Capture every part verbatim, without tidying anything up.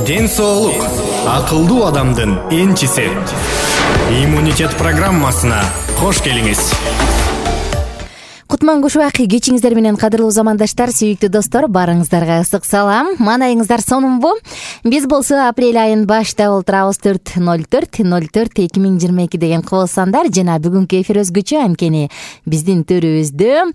Ден соолук акылдуу адамдын энчиси. Иммунитет программасына кош келиңиз. Кутман кушубак кечиңиздер менен, кадырлуу замандаштар, сүйүктүү достор, баарыңыздарга ысык салам. Маанайыңыздар сонунбу? Биз болсо апрель айын башта олтурабыз төрт ноль төрт ноль төрт эки миң жыйырма эки деген кыл сандар жана бүгүнкү эфир өзгөчө, анткени биздин төрүбүздө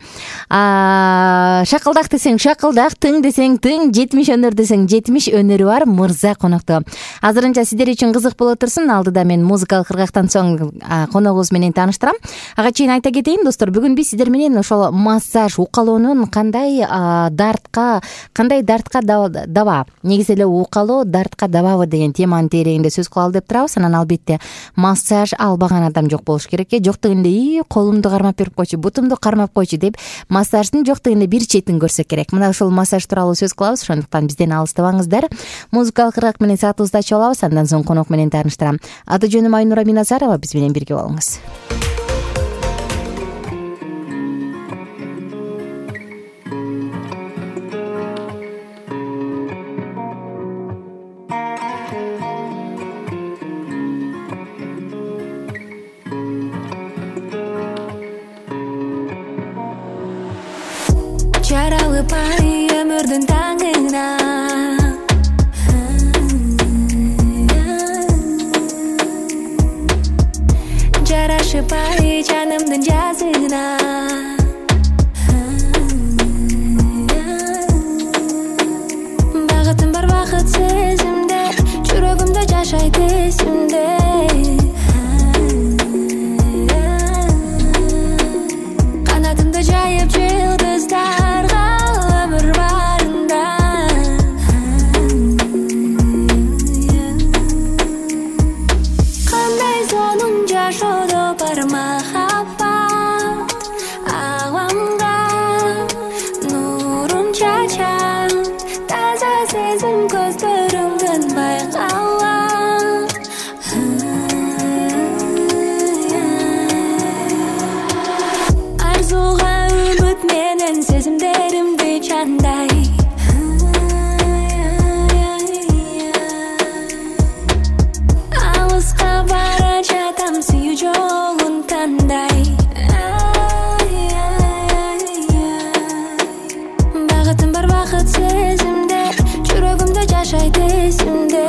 шакылдак десең шакылдак, тың десең тың, жетимиш өнөр десең жетимиш өнөрү бар мырза конокто. Азырынча сиздер үчүн кызык боло турсун. Алдыда мен музыкалык кыргактан соң коногубуз менен тааныштырам. Ага чейин айта кетейин достор, бүгүн биз сиздер менен ошол массаж, укалоонун кандай дартка, кандай дартка даба, негизи эле укалоо дартка дабабы деген теманын тереңинде сөз кылалы деп турабыз. Анан албетте массаж албаган адам жок болуш керек э. Жок дегенде и колумду кармап берип койчу, бутумду кармап койчу деп массаждын жок дегенде бир четин көрсөк керек. Мына ошол массаж тууралуу сөз кылабыз, ошондуктан бизден алыстабаңыздар. Музыкалык кыргак менен саатыбызды ачып алабыз, андан соң конок менен тааныштырам. Аты жөнүм Айнура Миназарова, биз менен бирге болуңуз. Жаралы пай өмүрдүн таңына, жарашы пай жанымдын жазына. Багытым бар бакыт сезимде, жүрөгүмдө жашайт эсимде. Канатымды жайып жылдыздарга өмүр барында. Кандай сонун жашоодо бар махаббат, аламга нурун чачат, таза сезим көздөрүңдөн байкалат. Арзуга үмүт менен сезимдеримди чандай. Алыска бара жатам сүйүү жолун тандай. Багытым бар бакыт сезимде, жүрөгүмдө жашайт эсимде.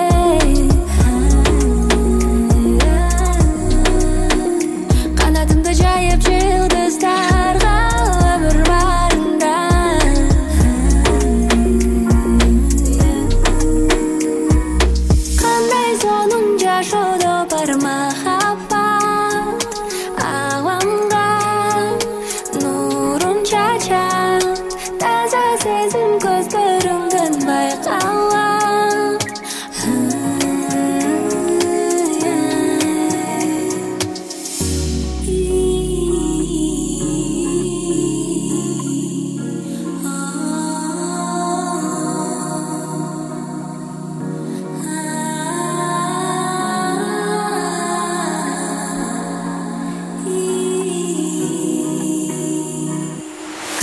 Канатымды жайып жылдыздарга өмүр барында. Кандай сонун жашоодо бар махаббат, аламга нурун чачат, таза сезим көздөрүңдөн байкалат.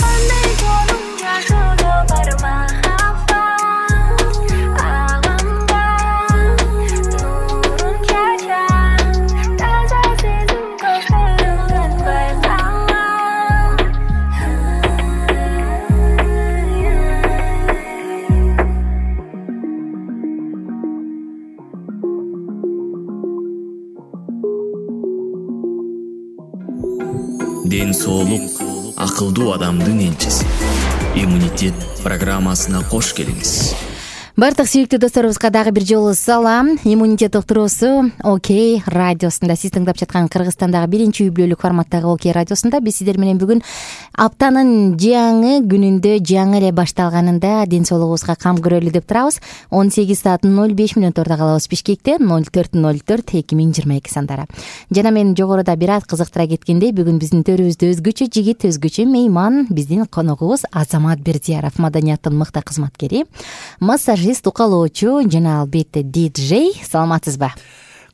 Кандай сонун жашоодо бар махаббат, аламга нурун чачат, таза сезим көздөрүңдөн байкалат. Ден соолук акылдуу адамдын энчиси. Иммунитет программасына кош келиңиз. Бардык сүйүктүү досторубузга дагы бир жолу салам. Иммунитет уктуруусу Окей радиосунда, сиз тыңдап жаткан Кыргызстандагы биринчи үй бүлөлүк форматтагы Окей радиосунда биз сиздер менен бүгүн аптанын жаңы күнүндө, жаңы эле башталганында ден соолугубузга кам көрөлү деп турабыз. он сегиз саат ноль беш мүнөттөрдө калабыз Бишкекте. ноль төрт ноль төрт эки миң жыйырма эки сандары. Жана мен жогоруда бир аз кызыктыра кеткендей, бүгүн биздин төрүбүздө өзгөчө жигит, өзгөчө мейман, биздин коногубуз Азамат Бердияров, маданияттын мыкты кызматкери, массажист, укалоочу жана албетте диджей. Саламатсызбы?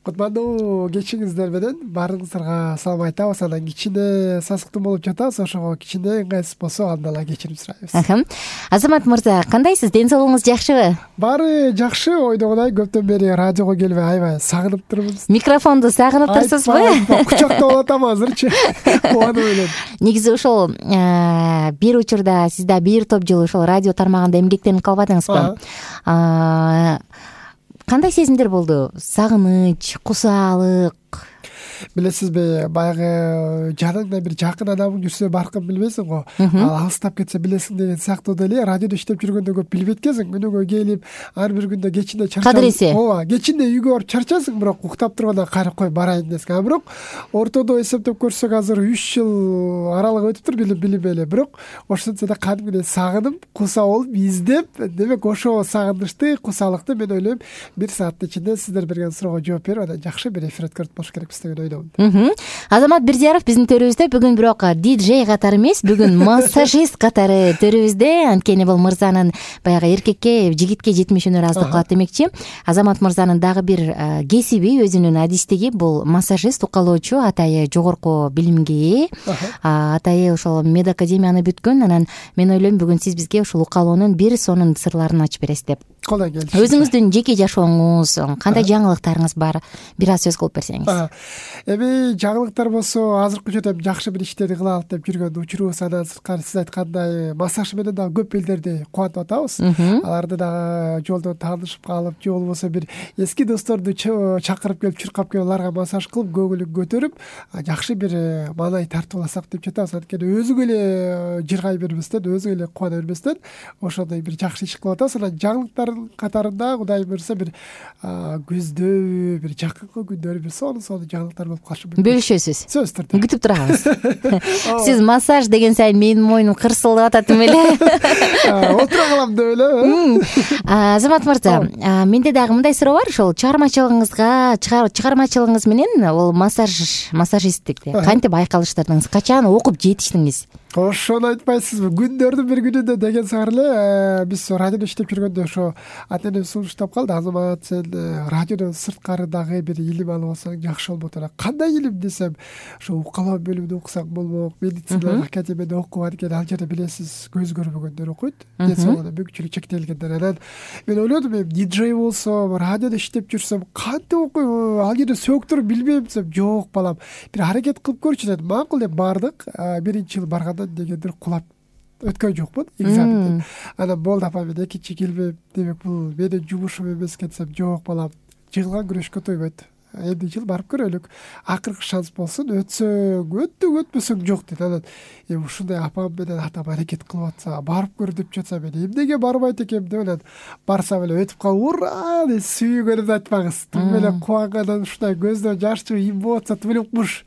кутмандуу кечиңиздер менен баарыңыздарга салам айтабыз. Анан кичине сасыктуу болуп жатабыз, ошого кичине ыңгайсыз болсо андан эле кечирим сурайбыз. Азамат мырза, кандайсыз? Ден соолугуңуз жакшыбы? Баары жакшы. Ойдогудай көптөн бери радиого келбей аябай сагынып турбуз. Микрофонду сагынып турсузбу? Кучактап атам азырчы. Кубануу менен. Негизи ошол бир учурда сиз да бир топ жыл ошол радио тармагында эмгектенип калбадыңызбы? Кандай сезимдер болду? Сагыныч, кусаалык? Билесизби, баягы жаныңда бир жакын адамың жүрсө баркын билбейсиң го. Ал алыстап кетсе билесиң деген сыяктуу деле радиодо иштеп жүргөндө көп билбейт экенсиң. Күнүгө келип, ар бир күндө кечинде чарчап. Кадыресе. Ооба, кечинде үйгө барып чарчасың, бирок уктап турганда кайра кой барайын десең. А бирок ортодо эсептеп көрсөк азыр үч жыл аралык өтүптүр билип билбей эле. Бирок ошентсе да кадимгидей сагынып, куса болуп, издеп, демек ошо сагынычты, кусалыкты мен ойлойм бир сааттын ичинде сиздер берген суроого жооп берип, анан жакшы бир эфир өткөрүп болуш керекпиз деген ойдомун. Азамат Бирзияров биздин төрүбүздө бүгүн бирок диджей катары эмес, бүгүн массажист катары төрүбүздө. Анткени бул мырзанын баягы эркекке, жигитке жетимиш өнөр аздык кылат демекчи. Азамат мырзанын дагы бир кесиби, өзүнүн адистиги бул массажист, укалоочу, атайы жогорку билимге ээ. Атайы ошол медакадемияны бүткөн. Анан мен ойлойм бүгүн сиз бизге ушул укалоонун бир сонун сырларын ачып бересиз деп. Колдой келишиңиз. Өзүңүздүн жеке жашооңуз, кандай жаңылыктарыңыз бар? Бир аз сөз кылып берсеңиз. Эми жаңылыктар болсо, азыркы учурда жакшы бир иштерди кыла алып деп жүргөн учурубуз. Андан сырткары сиз айткандай массаж менен дагы көп элдерди кубантып атабыз. Аларды дагы жолдон таанышып калып, же болбосо бир эски досторду чакырып келип, чуркап келип, аларга массаж кылып, көңүлүн көтөрүп, жакшы бир маанай тартып алсак деп жатабыз. Анткени өзүгө эле жыргай бербестен, өзүгө эле кубана бербестен ошондой бир жакшы иш кылып атабыз. Анан жаңылыктар катарында Кудай буйрса бир көздөбү, бир жакынкы күндөрү бир сонун-сонун жаңылыктар болуп калышы мүмкүн. Бөлүшөсүз. Сөзсүз түрдө. Күтүп турабыз. Сиз массаж деген сайын менин моюнум кырсылдап атат эле. Отура калам деп эле. Азамат мырза, менде дагы мындай суроо бар. Ошол чыгармачылыгыңызга, чыгармачылыгыңыз менен ол массаж, массажисттикти кантип айкалыштырдыңыз? Качан окуп жетиштиңиз? Ошону айтпайсызбы? Күндөрдүн бир күнүндө деген сыңар эле биз радиодо иштеп жүргөндө ошо ата-энем сунуштап калды. Азамат, сен радиодон сырткары дагы бир илим алып алсаң жакшы болот эле. Кандай илим десем, ошо укалоо бөлүмүндө окусаң болмок, медицина академияда окуп, анткени ал жерде билесиз, көз көрбөгөндөр окуйт, ден соолугуна мүмкүнчүлүк чектелгендер. Анан мен ойлодум, эми диджей болсом, радиодо иштеп жүрсөм, кантип окуйм? Ал жерде сөөктөрү билбейм десем, жок балам, бир аракет кылып көрчү дедим. Макул деп бардык. Биринчи жыл барганда дегендир кулап өткөн жокмун экзаменден. Анан болду апа, мен экинчи келбейм, демек бул менин жумушум эмес экен десем, жок балам, жыгылган күрөшкө тойбойт. Эмне жыл барып көрөлүк. Акыркы шанс болсун, өтсөң өттүң, өтпөсөң жок дейт. Анан эми ушундай апам менен атам аракет кылып атса, барып көр деп жатса, мен эмнеге барбайт экенмин деп анан барсам эле өтүп калып, ура деп сүйгөнүмдү айтпаңыз. Тим эле кубангандан ушундай көздөн жаш чыгып, эмоция тим эле укмуш.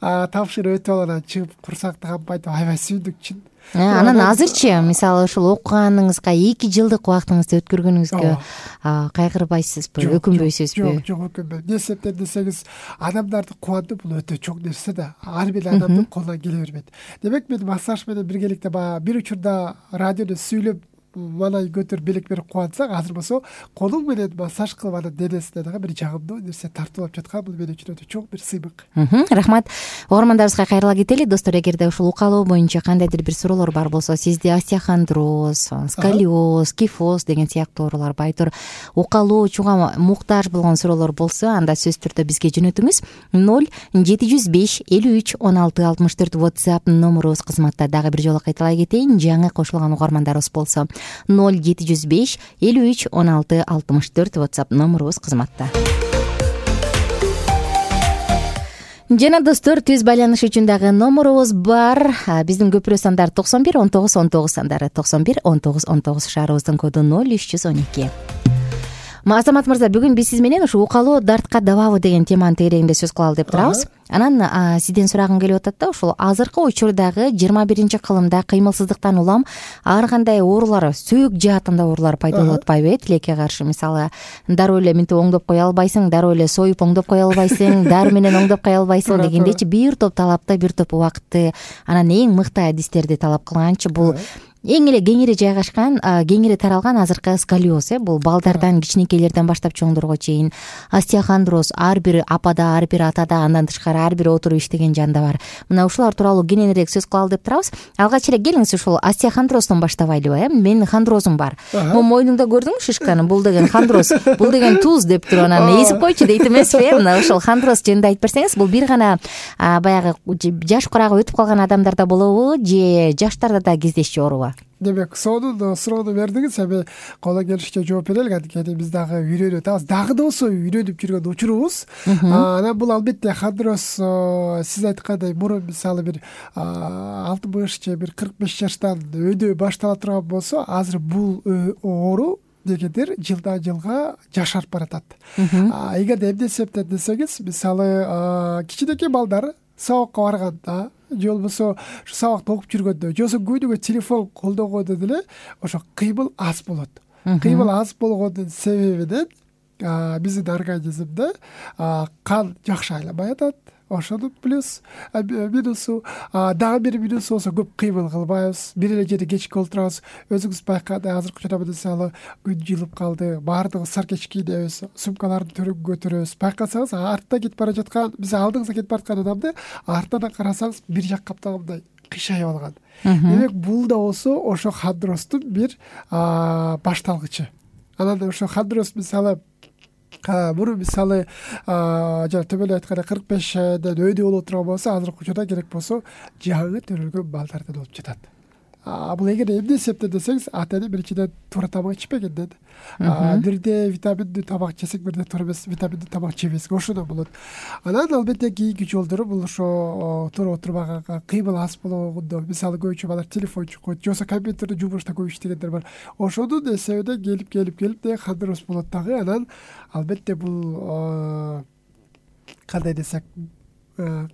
Тапшырып өтүп алып анан чыгып курсакты кампайтып аябай сүйдүк чын. Анан азырчы, мисалы ушул окуганыңызга эки жылдык убактыңызды өткөргөнүңүзгө кайгырбайсызбы, өкүнбөйсүзбү? Жок, жок, өкүнбөйм. Не себептен десеңиз, адамдарды кубандыруу бул өтө чоң нерсе да. Ар бир адамдын колунан келе бербейт. Демек мен массаж менен биргеликте баягы бир учурда радиодо сүйлөп маанай көтөрүп белек берип кубансак, азыр болсо колуң менен массаж кылып анын денесине дагы бир жагымдуу нерсе тартуулап жаткан, бул мен үчүн өтө чоң бир сыймык. Рахмат. Угармандарыбызга кайрыла кетели. Достор, эгерде ушул укалоо боюнча кандайдыр бир суроолор бар болсо, сизде остеохондроз, сколиоз, кифоз деген сыяктуу оорулар, байтур укалоочуга муктаж болгон суроолор болсо, анда сөзсүз түрдө бизге жөнөтүңүз. ноль жети жүз беш элүү үч он алты алтымыш төрт WhatsApp номерубуз кызматта. Дагы бир жолу кайталай кетейин, жаңы кошулган угармандарыбыз болсо ноль жети жүз беш элүү үч он алты алтымыш төрт WhatsApp номерубуз кызматта. Жана достор, түз байланыш үчүн дагы номерубуз бар. Биздин көпүрө сандары токсон бир он тогуз он тогуз сандары, токсон бир он тогуз он тогуз, шаарыбыздын коду ноль үч жүз он эки. Азамат мырза, бүгүн биз сиз менен ушу укалоо дартка дабабы деген теманын тегерегинде сөз кылалы деп турабыз. Анан сизден сурагым келип атат да, ушул азыркы учурдагы жыйырма биринчи кылымда кыймылсыздыктан улам ар кандай оорулар, сөөк жаатында оорулар пайда болуп атпайбы? Тилекке каршы, мисалы, дароо эле минтип оңдоп кое албайсың, дароо эле союп оңдоп кое албайсың, дары менен оңдоп кое албайсың дегендейчи бир топ талапты, бир топ убакытты, анан эң мыкты адистерди талап кылганчы бул эң эле кеңири жайгашкан, кеңири таралган азыркы сколиоз э бул балдардан кичинекейлерден баштап чоңдорго чейин остеохондроз ар бир апада, ар бир атада, андан тышкары ар бир отуруп иштеген жанда бар. Мына ушулар тууралуу кененирээк сөз кылалы деп турабыз. Алгач эле келиңиз ушул остеохондроздон баштабайлыбы э менин хондрозум бар. Могу мойнуңда көрдүңбү шишканы? Бул деген хондроз, бул деген туз деп туруп анан эзип койчу дейт эмеспи э? Мына ушул хондроз жөнүндө айтып берсеңиз, бул бир гана баягы жаш курагы өтүп калган адамдарда болобу же жаштарда да кездешчү оорубу? Демек, сонун суроону бердиңиз. Эми колдон келишинче жооп берели. Анткени биз дагы үйрөнүп атабыз. Дагы да болсо үйрөнүп жүргөн учурубуз. Анан бул албетте хондроз сиз айткандай мурун мисалы бир алтымыш же бир кырк беш жаштан өйдө баштала турган болсо, азыр бул оору дегендер жылдан жылга жашарып баратат. Эгерде эмне себептен десеңиз, мисалы кичинекей балдар сабакка барганда же болбосо ушу сабакты окуп жүргөндө же болбосо күнүгө телефон колдонгондо деле ошо кыймыл аз болот. Кыймыл аз болгондун себебинен биздин организмде кан жакшы айланбай атат. Ошонун плюс минусу, дагы бир минусу болсо көп кыймыл кылбайбыз, бир эле жерде кечке олтурабыз. Өзүңүз байкагандай азыркы учурда мисалы күн жылып калды, баардыгы саркеч кийинебиз, сумкаларды төрүнгө көтөрөбүз. Байкасаңыз артта кетип бара жаткан, биз алдыңызга кетип бараткан адамды артынан карасаңыз бир жак каптагандай кыйшайып алган. Демек, бул да болсо ошо хондроздун бир башталгычы. Анан ошо хондроз мисалы мурун мисалы жана төмөндө айткандай кырк бештен өйдө боло турган болсо, азыркы учурда керек болсо жаңы төрөлгөн балдардан болуп жатат. Бул эгер эмне себептен десеңиз, ата-эне биринчиден туура тамак ичпегенден, бирде витаминдүү тамак жесек, бирде туура эмес витаминдүү тамак жебесек, ошондон болот. Анан албетте кийинки жолдору бул ошо туура отурбаганга, кыймыл аз болгондо, мисалы көбүнчө балдар телефон чукут, же болбосо компьютерде жумушта көп иштегендер бар. Ошонун эсебинен келип келип келип де хондроз болот дагы. Анан албетте бул кандай десек,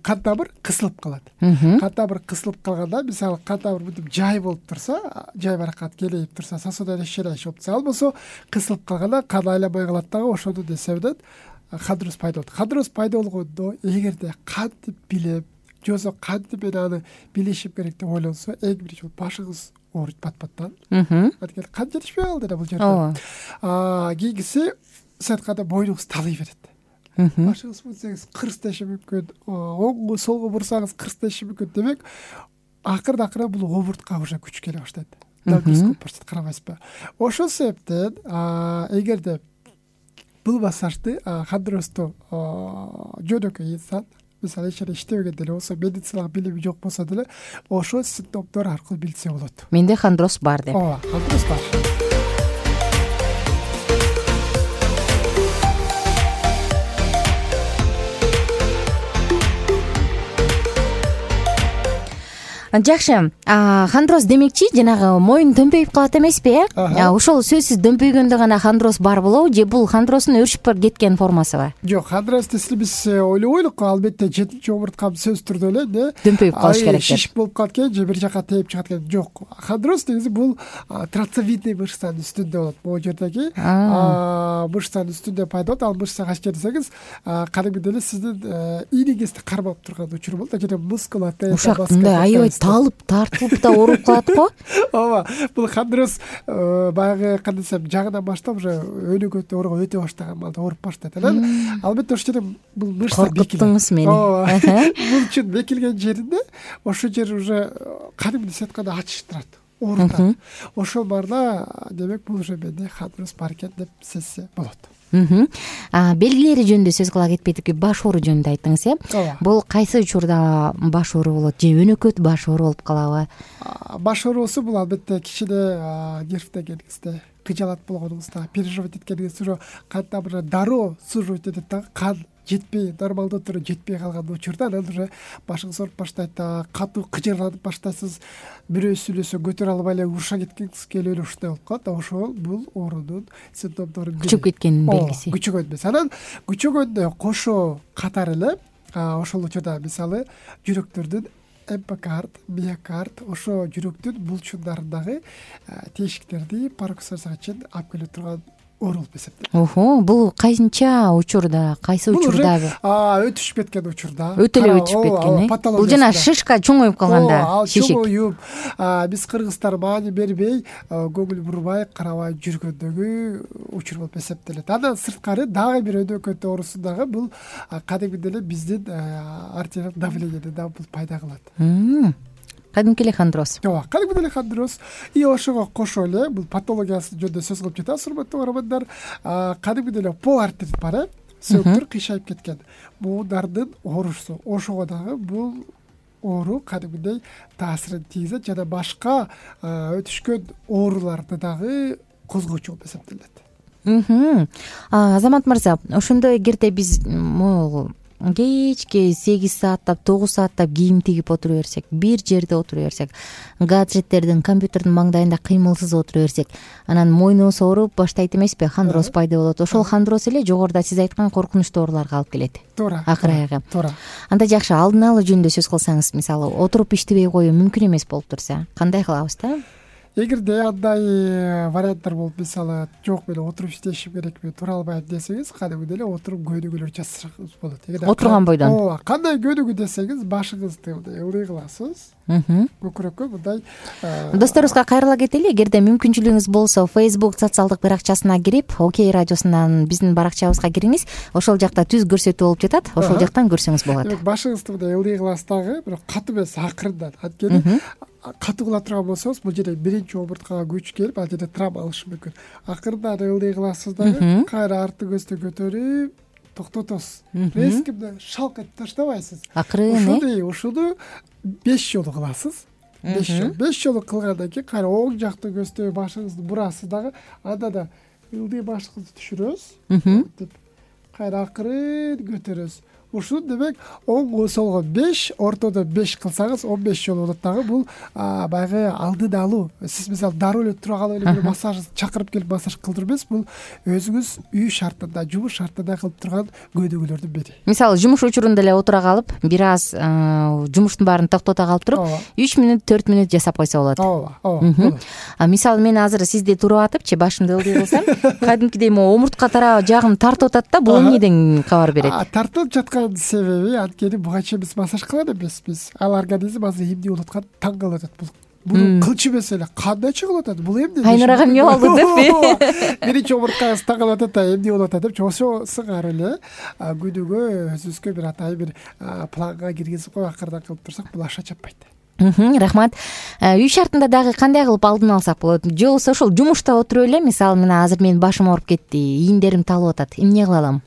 кан тамыр кысылып калат. Кан тамыр кысылып калганда, мисалы кан тамыр мынтип жай болуп турса, жай баракат келип турса, сосуден ишелеш болуп турса, ал болсо кысылып калганда кан айланбай калат дагы. Ошонун эсебинен хондроз пайда болот. Хондроз пайда болгондо эгерде кантип билем, же болбосо кантип мен аны билишим керек деп ойлонсо, эң биринчи башыңыз ооруйт пат-паттан. Анткени кан жетишпей калды да бул жерде. Кийинкиси, сиз айткандай мойнуңуз талый берет. Башыңыз бурсаңыз кырсташы мүмкүн, оңго солго бурсаңыз кырсташы мүмкүн. Демек, акырын акырын бул омуртка уже күч келе баштайт. Дискомфорт карабайсызбы? Ошол себептен эгерде бул массажды хондрозду жөнөкөй инсан, мисалы эч иштебеген деле болсо, медициналык билими жок болсо деле, ошол симптомдор аркылуу билсе болот. Менде хондроз бар деп. Ооба, хондроз бар. Жакшы. Хондроз демекчи, жанагы моюн дөмпөйүп калат эмеспи, э? Ошол сөзсүз дөмпөйгөндө гана хондроз бар болобу, же бул хондроздун өршүп кеткен формасыбы? Жок, хондроз десе биз ойлобойлук, албетте жетинчи омурткам сөзсүз түрдө эле дөмпөйүп калыш керек деп. Шиш болуп калат экен, же бир жака тээп чыгат экен. Жок. Хондроз негизи бул трацевидный мышцанын үстүндө болот. Могу жердеги мышцанын үстүндө пайда болот. Ал мышца качка десеңиз, кадимки эле сиздин ийниңизди кармап турган учур болот. Жана мускулатура ушакында аябай талып, тартылып да ооруп калат го. Ооба, бул хондроз баягы кандай десем, жагынан баштап уже өнүгөт ооруга өтө баштаган балда ооруп баштайт. Анан албетте ошол жерде бул мышца коркуттуңуз мени. Ооба. Булчун бекилген жеринде ошол жер уже кадимки сиз айткандай ачышып турат, оорутат. Ошол барда, демек бул уже менде хондроз бар экен деп сезсе болот. Белгилери жөнүндө сөз кыла кетпедик, баш оору жөнүндө айттыңыз, э? Бул кайсы учурда баш оору болот, же өнөкөт баш оору болуп калабы? Баш оорусу бул албетте кичине нервдегениңизде, кыжалат болгонуңузда, переживать эткениңизде, ошо кан тамырына дароо суживать этет дагы, кан жетпей, нормалдуу түрү жетпей калган учурда анан уже башыңыз ооруп баштайт, катуу кыжырланып баштайсыз, бирөө сүйлөсө көтөрө албай эле уруша кеткиңиз келип эле ушундай болуп калат. Ошол бул оорунун симптомдору. Күчөп кеткенин белгиси. Күчөгөн эмес. Анан күчөгөндө кошо катары эле ошол учурда мисалы жүрөктөрдүн эпикард, миокард, ошо жүрөктүн булчундарын дагы тешиктерди пароксизга чейин алып келе турган оору болуп эсептелет. Охо, бул кайсынча учурда, кайсы учурда? Өтүшүп кеткен учурда. Өтө эле өтүшүп кеткен э. Бул жана шишка чоңоюп калганда, шишик. Чоңоюп, биз кыргыздар маани бербей, көңүл бурбай, карабай жүргөндөгү учур болуп эсептелет. Андан сырткары дагы бир өнөкөт оорусундагы бул кадимки эле биздин артериялык давлениени да бул пайда кылат. Кадимки эле хондроз. Ооба, кадимки эле хондроз. И ошого кошо эле бул патологиясы жөнүндө сөз кылып жатабыз, урматтуу көрөрмандар. Кадимки эле пол артерит бар э, сөөктөр кыйшайып кеткен. Буунардын оорусу. Ошого дагы бул оору кадимгидей таасирин тийгизет жана башка өтүшкөн ооруларды дагы козгоочу болуп эсептелет. Азамат мырза, ошондо эгерде биз могу кечки сегиз сааттап, тогуз сааттап кийим тигип отура берсек, бир жерде отура берсек, гаджеттердин, компьютердин маңдайында кыймылсыз отура берсек, анан мойнубуз ооруп баштайт эмеспи, хондроз пайда болот. Ошол хондроз эле жогоруда сиз айткан коркунучтуу ооруларга алып келет. Туура. Акыр аягы. Туура. Анда жакшы, алдын алуу жөнүндө сөз кылсаңыз, мисалы, отуруп иштебей коюу мүмкүн эмес болуп турса, кандай кылабыз да? Эгерде андай варианттар болуп, мисалы, жок мен отуруп иштешим керекми, тура албайм десеңиз, кадимки эле отуруп көнүгүүлөр жасасаңыз болот. Отурган бойдон. Ооба, кандай көнүгүү десеңиз, башыңызды мындай ылдый кыласыз. Көкүрөккө мындай. Досторубузга кайрыла кетели. Эгерде мүмкүнчүлүгүңүз болсо, Facebook социалдык баракчасына кирип, Окей радиосунан биздин баракчабызга кириңиз. Ошол жакта түз көрсөтүү болуп жатат. Ошол жактан көрсөңүз болот. Демек, башыңызды мындай ылдый кыласыз дагы, бирок катуу эмес, акырындан. Анткени катуу кыла турган болсоңуз, бул жерде биринчи омурткага күч келип, ал жерде травма алышы мүмкүн. Акырындан ылдый кыласыз дагы, кайра арты көздү көтөрүп токтотосуз. Резко шалк этип таштабайсыз. Акырын. Ушуну, ушуну беш жолу кыласыз. беш жолу. беш жолу кылгандан кийин кайра оң жактын көздөбү башыңызды бурасыз дагы, анда да ылдый башыңызды түшүрөсүз. Кайра акырын көтөрөсүз. Ушун демек оң солго беш, ортодо беш кылсаңыз он беш жолу болот дагы. Бул баягы алдын алуу. Сиз мисалы дароо эле тура калып эле бир массаж чакырып келип массаж кылдырып эмес, бул өзүңүз үй шартында, жумуш шартында кылып турган көнүгүүлөрдүн бири. Мисалы, жумуш учурунда эле отура калып, бир аз жумуштун баарын токтото калып туруп, үч мүнөт, төрт мүнөт жасап койсо болот. Ооба, ооба. А мисалы, мен азыр сизди туруп атыпчы, башымды ылдый кылсам, кадимкидей могу омуртка тарабы жагым тартып атат да, бул эмнеден кабар берет? Тартып жаткан себеби анткени буга чейин биз массаж кылган эмеспиз. Ал организм азыр эмне болуп аткан таң калып атат. Бул бул кылчу эмес эле. Кандайча кылып атат? Бул эмне? Айнурага эмне болду деппи? Биринчи омурткаңыз таң калып атат, эмне болуп атат деп, ошо сыңар эле күнүгө өзүбүзгө бир атайын бир планга киргизип коюп акырдан кылып турсак, бул аша чаппайт. Рахмат. Үй шартында дагы кандай кылып алдын алсак болот? Же болбосо ошол жумушта отуруп эле, мисалы, мына азыр менин башым ооруп кетти, ийиндерим талып атат. Эмне кыла алам?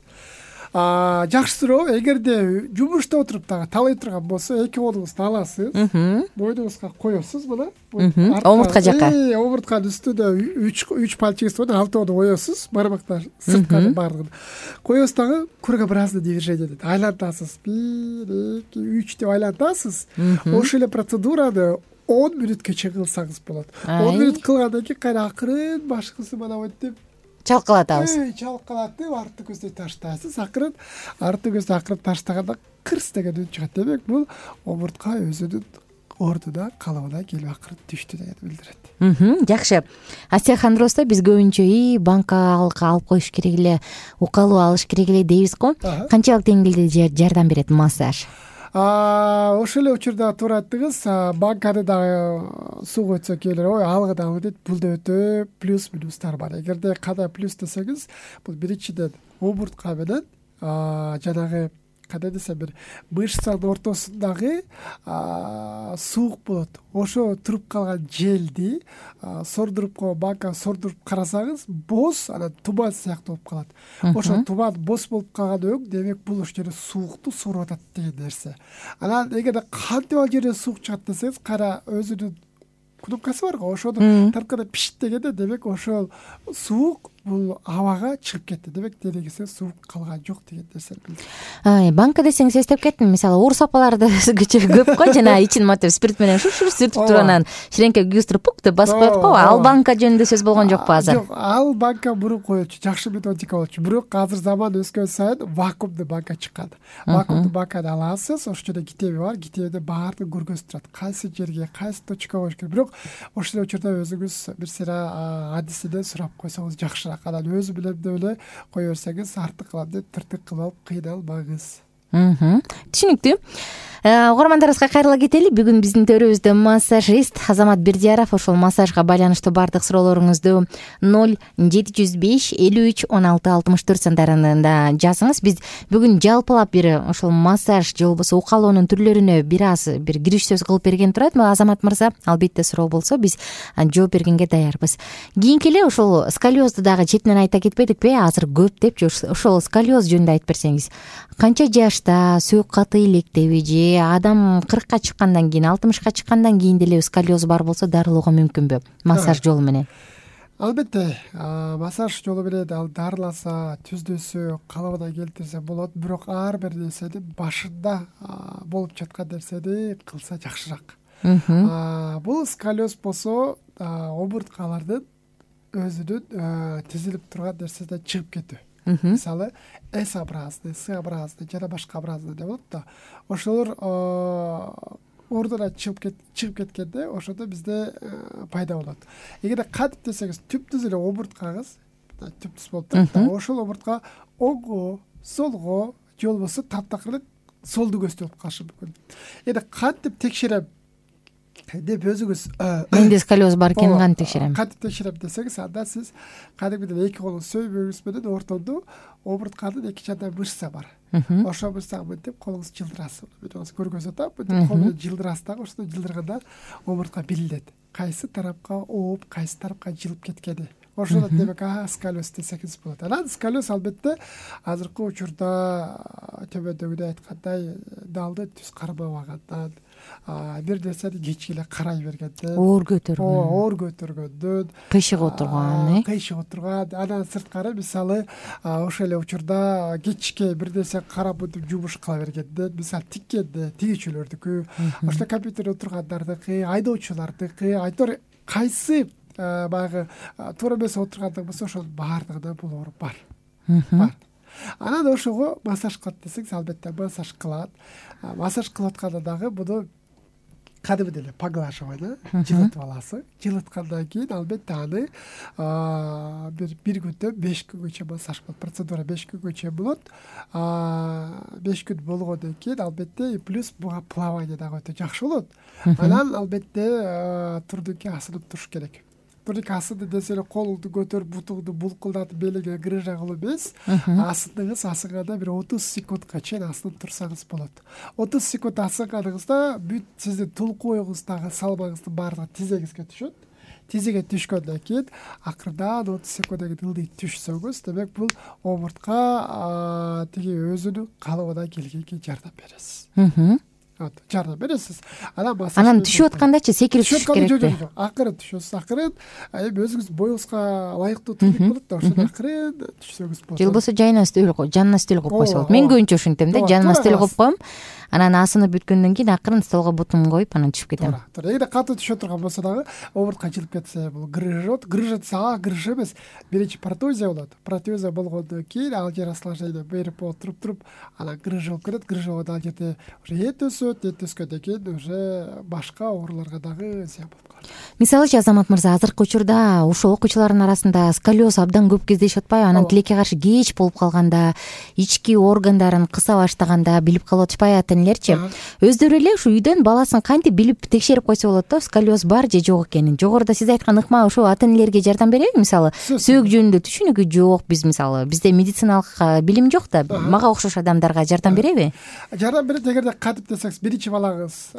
Жакшы суроо. Эгерде жумушта отуруп дагы талай турган болсо, эки колуңузду аласыз, мойнуңузга коесуз, мына омуртка жакка. Омуртканын үстүнө үч үч пальчиңиз менен алтоону коесуз, бармактар сыртканы баардыгын коесуз дагы, круга бразды движение дейт. Айлантасыз, бир, эки, үч деп айлантасыз. Ошол эле процедураны он мүнөткө чейин кылсаңыз болот. он мүнөт кылгандан кийин кайра акырын башыңызды мына монтип чалкалатабыз. Чалкалатып, арты көздү таштайсыз. Акырын арты көздү акырын таштаганда кырс деген үн чыгат. Демек, бул омуртка өзүнүн ордуна, калыбына келип акырын түштү дегенди билдирет. Жакшы. Остеохондроздо биз көбүнчө и банка алып коюш керек эле, укалуу алыш керек эле дейбиз го. Канчалык деңгээлде жардам берет массаж? Ошол эле учурда туура айттыңыз. Банканы дагы сууга өтсө келер, ой, алгыда алгы дейт. Булда өтө плюс минустар бар. Эгерде кандай плюс десеңиз, бул биринчиден омуртка менен жанагы кандай десем, бир мышцанын ортосундагы суук болот. Ошо туруп калган желди сордуруп коюп, банка сордуруп карасаңыз, боз, анан туман сыяктуу болуп калат. Ошо туман боз болуп калган өң, демек бул ошол жерде суукту соруп атат деген нерсе. Анан эгерде кантип ал жерде суук чыгат десеңиз, кайра өзүнүн кнопкасы бар го, ошону тартканда пишт дегенде, демек ошол суук бул абага чыгып кетти. Демек, денеңизде суук калган жок деген нерсени билдирет. Банка десеңиз эстеп кеттим. Мисалы, ооруз апаларды өзгөчө көп го, жана ичин матеп спирт менен шур-шур сүртүп туруп, анан ширеңке күйгүзтүрүп пук деп басып коет го. Ал банка жөнүндө сөз болгон жокпу азыр? Жок, ал банка мурун коелчу, жакшы методика болчу. Бирок азыр заман өскөн сайын вакуумдуу банка чыккан. Вакуумдуу банканы аласыз, ошол жерде китеби бар, китебиде баардыгын көргөзүп турат. Кайсы жерге, кайсы точкага коюш керек. Бирок ошол учурда өзүңүз бир сыйра адисинен сурап койсоңуз жакшыраак жакшыраак. Анан өзү билем деп эле кое берсеңиз артык кылам деп тыртык кылып алып кыйналбаңыз. Түшүнүктүү. Угармандарыбызга кайрыла кетели. Бүгүн биздин төрүбүздө массажист Азамат Бердияров. Ошол массажга байланыштуу баардык суроолоруңузду ноль жети жүз беш элүү үч он алты алтымыш төрт сандарында жазыңыз. Биз бүгүн жалпылап бир ошол массаж же болбосо укалоонун түрлөрүнө бир аз бир кириш сөз кылып берген турат. Азамат мырза, албетте суроо болсо биз жооп бергенге даярбыз. Кийинки эле ошол сколиозду дагы четинен айта кетпедикпи? Азыр көп депчи. Ошол сколиоз жөнүндө айтып берсеңиз. Канча жашта сөөк каты илектеби же адам кыркка чыккандан кийин, алтымышка чыккандан кийин деле сколиоз бар болсо дарылоого мүмкүнбү массаж жолу менен? Албетте, массаж жолу менен ал дарыласа, түздөсө, калыбына келтирсе болот, бирок ар бир нерсенин башында болуп жаткан нерсени кылса жакшыраак. Бул сколиоз болсо омурткалардын өзүнүн тизилип турган нерсесинен чыгып кетүү. Мисалы S-образный, S-образный жана башка образный деп болот да. Ошолор ордуна чыгып кеткенде ошондо бизде пайда болот. Эгерде кантип десеңиз, түптүз эле омурткаңыз түптүз болуп турат да. Ошол омуртка оңго, солго же болбосо таптакыр эле солду көздөп калышы мүмкүн. Эми кантип текшерем деп өзүңүз менде сколиоз бар экенин кантип текшерем? Кантип текшерем десеңиз, анда сиз кадимгидей эки колун сөймөгүңүз менен ортодо омуртканын эки жагында мышца бар. Ошол мышцага мынтип колуңузду жылдырасыз. Мынтип көргөзүп атам, мынтип кол менен жылдырасыз дагы, ошондо жылдырганда омуртка билинет. Кайсы тарапка ооп, кайсы тарапка жылып кеткени. Ошондо демек сколиоз десеңиз болот. Анан сколиоз албетте азыркы учурда төмөндөгүдөй айткандай далды түз кармабагандан, бир нерсени кечке эле карай бергенден, оор көтөргөн, оор көтөргөндөн, кыйшык отурган, э кыйшык отурган. Анан сырткары мисалы ошол эле учурда кечке бир нерсе карап өтүп жумуш кыла бергенден, мисалы тиккенде тигичүлөрдүкү, ошто компьютерде отургандардыкы, айдоочулардыкы, айтор кайсы баягы туура эмес отургандык болсо ошонун баардыгында бул оор бар. Бар. Анан ошого массаж кылат десеңиз, албетте массаж кылат. Массаж кылып атканда дагы буну кадимдей эле поглаживание жылытып аласыз. Жылыткандан кийин албетте аны бир бир күндө беш күнгөчө массаж болот. Процедура беш күнгөчө болот. беш күн болгондон кийин албетте плюс буга плавание дагы өтө жакшы болот. Анан албетте турдуки асынып туруш керек. Турдуки асынды десе эле колуңду көтөрүп, бутуңду булкулдатып, белиңе грыжа кылып эмес, асындыңыз, асынганда бир отуз секундка чейин асынып турсаңыз болот. отуз секунд асынганыңызда бүт сиздин тулкуюңуздагы салмаңыздын баардыгы тизеңизге түшөт. Тизеге түшкөндөн кийин акырдан отуз секунддан кийин ылдый түшсөңүз, демек бул омуртка тиги өзүнүн калыбына келгенге жардам бересиз. Жардам бересиз. Анан түшүп аткандачы секирип түшүш керекпи? Акырын түшөсүз, акырын. Эми өзүңүз боюңузга ылайыктуу турдук болот да, ошондо акырын түшсөңүз болот. Же болбосо жайына стөл коюп, жанына стөл коюп койсо болот. Мен көбүнчө ушинтем да, жаныма стөл коюп коем. Анан асынып бүткөндөн кийин акырын столго бутумду коюп анан түшүп кетем. Туура. Эгерде катуу түшө турган болсо дагы омуртка жылып кетсе, бул грыжот, грыжа десе, а грыжа эмес. Биринчи протузия болот. Протузия болгондон кийин ал жер осложнение берип отуруп туруп, анан грыжа болуп кетет. Грыжа болгондо ал жерде уже эт өсөт, эт өскөндөн кийин уже башка ооруларга дагы зыян болуп калат. Мисалычы Азамат мырза, азыркы учурда ошол окуучулардын арасында сколиоз абдан көп кездешип атпайбы? Анан тилекке каршы кеч болуп калганда, ички органдарын кыса баштаганда билип калып атышпайбы ата-энелерчи? Өздөрү эле ушу үйдөн баласын кантип билип текшерип койсо болот да, сколиоз бар же жок экенин. Жогоруда сиз айткан ыкма ошо ата-энелерге жардам береби? Мисалы, сөөк жөнүндө түшүнүкү жок, биз мисалы бизде медициналык билим жок да, мага окшош адамдарга жардам береби? Жардам берет. Эгерде кантип десеңиз, биринчи балаңыз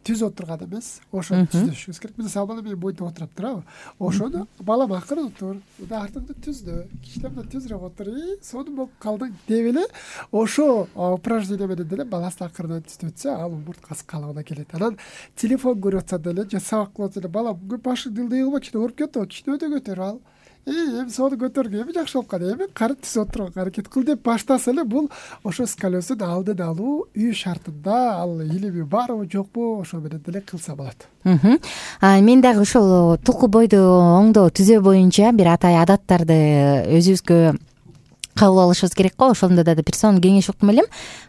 түз отурган эмес, ошону түздөшүңүз керек. Мисалы бала менин бойдо отуруп турабы? Ошону балам акырын отур, артыңды түздө, кичинемден түзүрөөк отур, сонун болуп калдың деп эле ошо упражнение менен деле баласын акырын түзөтсө, ал омурткасы калыбына келет. Анан телефон көрүп атса деле же сабак кылып атса деле, балам башыңды ылдый кылма, кичине ооруп кетип, кичине өтө көтөрүп ал. Эми сону көтөргөн эми жакшы болуп калды. Эми кары түз отурганга аракет кыл деп баштаса эле, бул ошо сколиоздун алдын алуу үй шартында, ал илими барбы жокпу, ошо менен деле кылса болот. Мен дагы ошол тулку бойду оңдоо түзөө боюнча бир атай адаттарды өзүбүзгө кабыл алышыбыз керек го. Ошондо да бир сонун кеңеш уктум элем.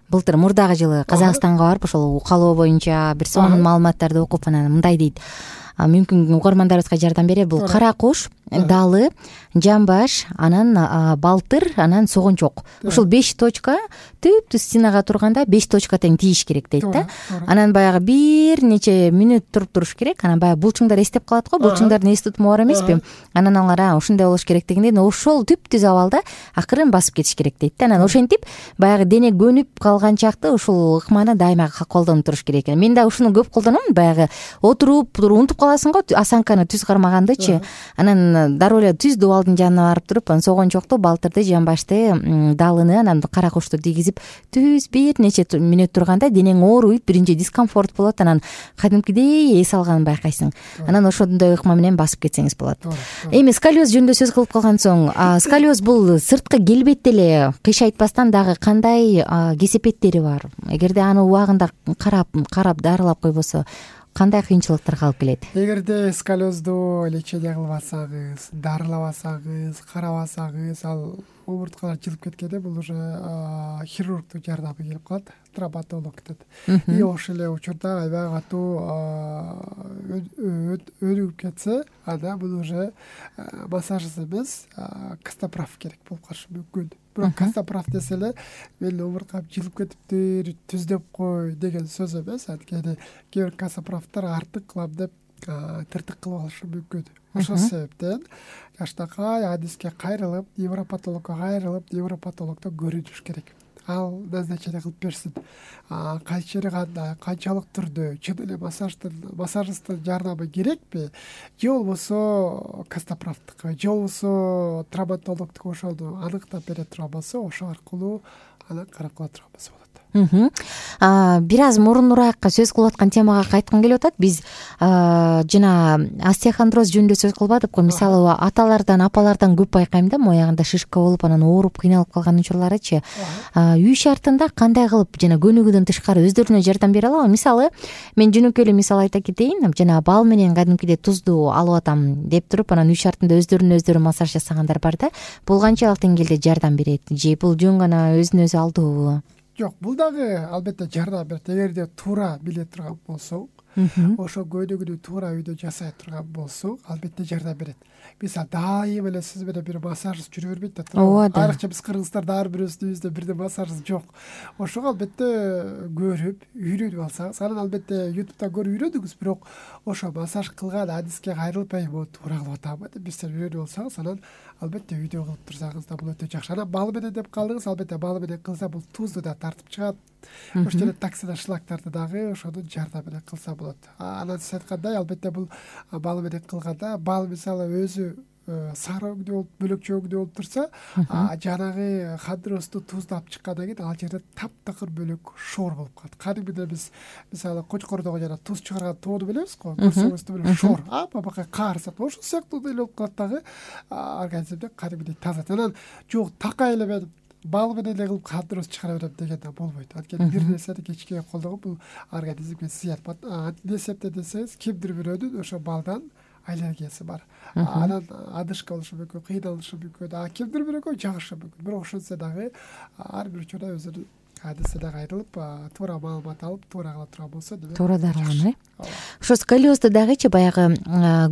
Былтыр мурдагы жылы Казакстанга барып, ошол укалоо боюнча бир сонун маалыматтарды окуп, анан мындай дейт. Мүмкүн угармандарыбызга жардам берет. Бул кара куш далы, жамбаш, анан балтыр, анан согончок. Ушул беш точка түп түз стенага турганда беш точка тең тийиш керек дейт да. Анан баягы бир нече мүнөт туруп туруш керек. Анан баягы булчуңдар эстеп калат го. Булчуңдардын эс тутуму бар эмеспи? Анан алар ушундай болуш керек дегенден ошол түп түз абалда акырын басып кетиш керек дейт да. Анан ошентип баягы дене көнүп калган чакта ушул ыкманы дайыма колдонуп туруш керек экен. Мен да ушуну көп колдоном. Баягы отуруп унутуп каласың го осанканы түз кармагандычы. Анан дароо эле түз дубалдын жанына барып туруп, анан согончокту, балтырды, жамбашты, далыны, анан кара кушту тийгизип түз бир нече мүнөт турганда денең ооруйт, биринчи дискомфорт болот, анан кадимкидей эс алганын байкайсың. Анан ошондой ыкма менен басып кетсеңиз болот. Эми сколиоз жөнүндө сөз кылып калган соң, сколиоз бул сырткы келбетти эле кыйшайтпастан дагы кандай кесепеттери бар? Эгерде аны убагында карап, карап дарылап койбосо кандай кыйынчылыктарга алып келет? Эгерде сколиозду лечение кылбасаңыз, дарылабасаңыз, карабасаңыз, ал омурткалар жылып кеткенде бул уже хирургдун жардамы келип калат, травматолог дейт. И ошол эле учурда аябай катуу өнүгүп кетсе, анда бул уже массажсыз эмес, костоправ керек болуп калышы мүмкүн. Бирок костоправ десе эле мен омурткам жылып кетиптир, түздөп кой деген сөз эмес. Анткени кээ бир костоправдар артык кылам деп тыртык кылып алышы мүмкүн. Ошол себептен жаштакай адиске кайрылып, невропатологко кайрылып, невропатологдон көрүнүш керек. Ал назначение кылып берсин. Кайчы жери кандай, канчалык түрдө, чын эле массаждын, массажисттин жардамы керекпи? Же болбосо костоправдыкы, же болбосо травматологдук ошону аныктап бере турган болсо, ошол аркылуу анан карап кала турган болсо болот. Бир аз мурунураакка сөз кылып аткан темага кайткым келип атат. Биз жана остеохондроз жөнүндө сөз кылбадыкпы? Мисалы аталардан, апалардан көп байкайм да, моягында шишка болуп, анан ооруп, кыйналып калган учурларычы. Үй шартында кандай кылып жана көнүгүүдөн тышкары өздөрүнө жардам бере алабы? Мисалы, мен жөнөкөй эле мисал айта кетейин. Жана бал менен кадимкидей тузду алып атам деп туруп, анан үй шартында өздөрүнө өздөрү массаж жасагандар бар да. Бул канчалык деңгээлде жардам берет? Же бул жөн гана өзүн өзү алдообу? Жок, бул дагы албетте жардам берет. Эгерде туура биле турган болсоң, ошо көнүгүүнү туура үйдө жасай турган болсоң, албетте жардам берет. Мисалы, дайыма эле сиз менен бир массажист жүрө бербейт да. Айрыкча биз кыргыздарда ар бирөөбүздүн үйүбүздө бирден массажист жок. Ошого албетте көрүп, үйрөнүп алсаңыз, анан албетте ютубтан көрүп үйрөндүңүз, бирок ошо массаж кылган адиске кайрылып, "Мо туура кылып атамбы?" деп бир сер үйрөнүп алсаңыз, анан албетте үйдө кылып турсаңыз да бул өтө жакшы. Анан бал менен деп калдыңыз, албетте бал менен кылса бул тузду да тартып чыгат. Ошол эле токсин шлактарды дагы ошонун жардамы менен кылса болот. Анан сиз айткандай, албетте бул бал менен кылганда, бал мисалы өзү сары өңдүү болуп, бөлөкчө өңдүү болуп турса, жанагы хондросту тузду алып чыккандан кийин ал жерде таптакыр бөлөк шоор болуп калат. Кадимгидей биз мисалы кочкордогу жана туз чыгарган тоону билебиз го, көрсөңүз деле шоор, апа-бака каарсат. Ошол сыяктуу эле болуп калат дагы, организмде кадимгидей таза. Анан жок, такай эле мен бал менен эле кылып хондроз чыгара берем деген да болбойт. Анткени бир нерсени кечке колдогон бул организмге зыян. Эмне себептен десеңиз, кимдир бирөөнүн ошо балдан аллергиясы бар. Анан адышка болушу мүмкүн, кыйналышы мүмкүн, а кимдир бирөөгө жагышы мүмкүн. Бирок ошонсо дагы ар бир учурда өзүнүн адисине кайрылып, туура маалымат алып, туура кыла турган болсо, демек туура дарыланып, э? Ошо сколиозду дагычы баягы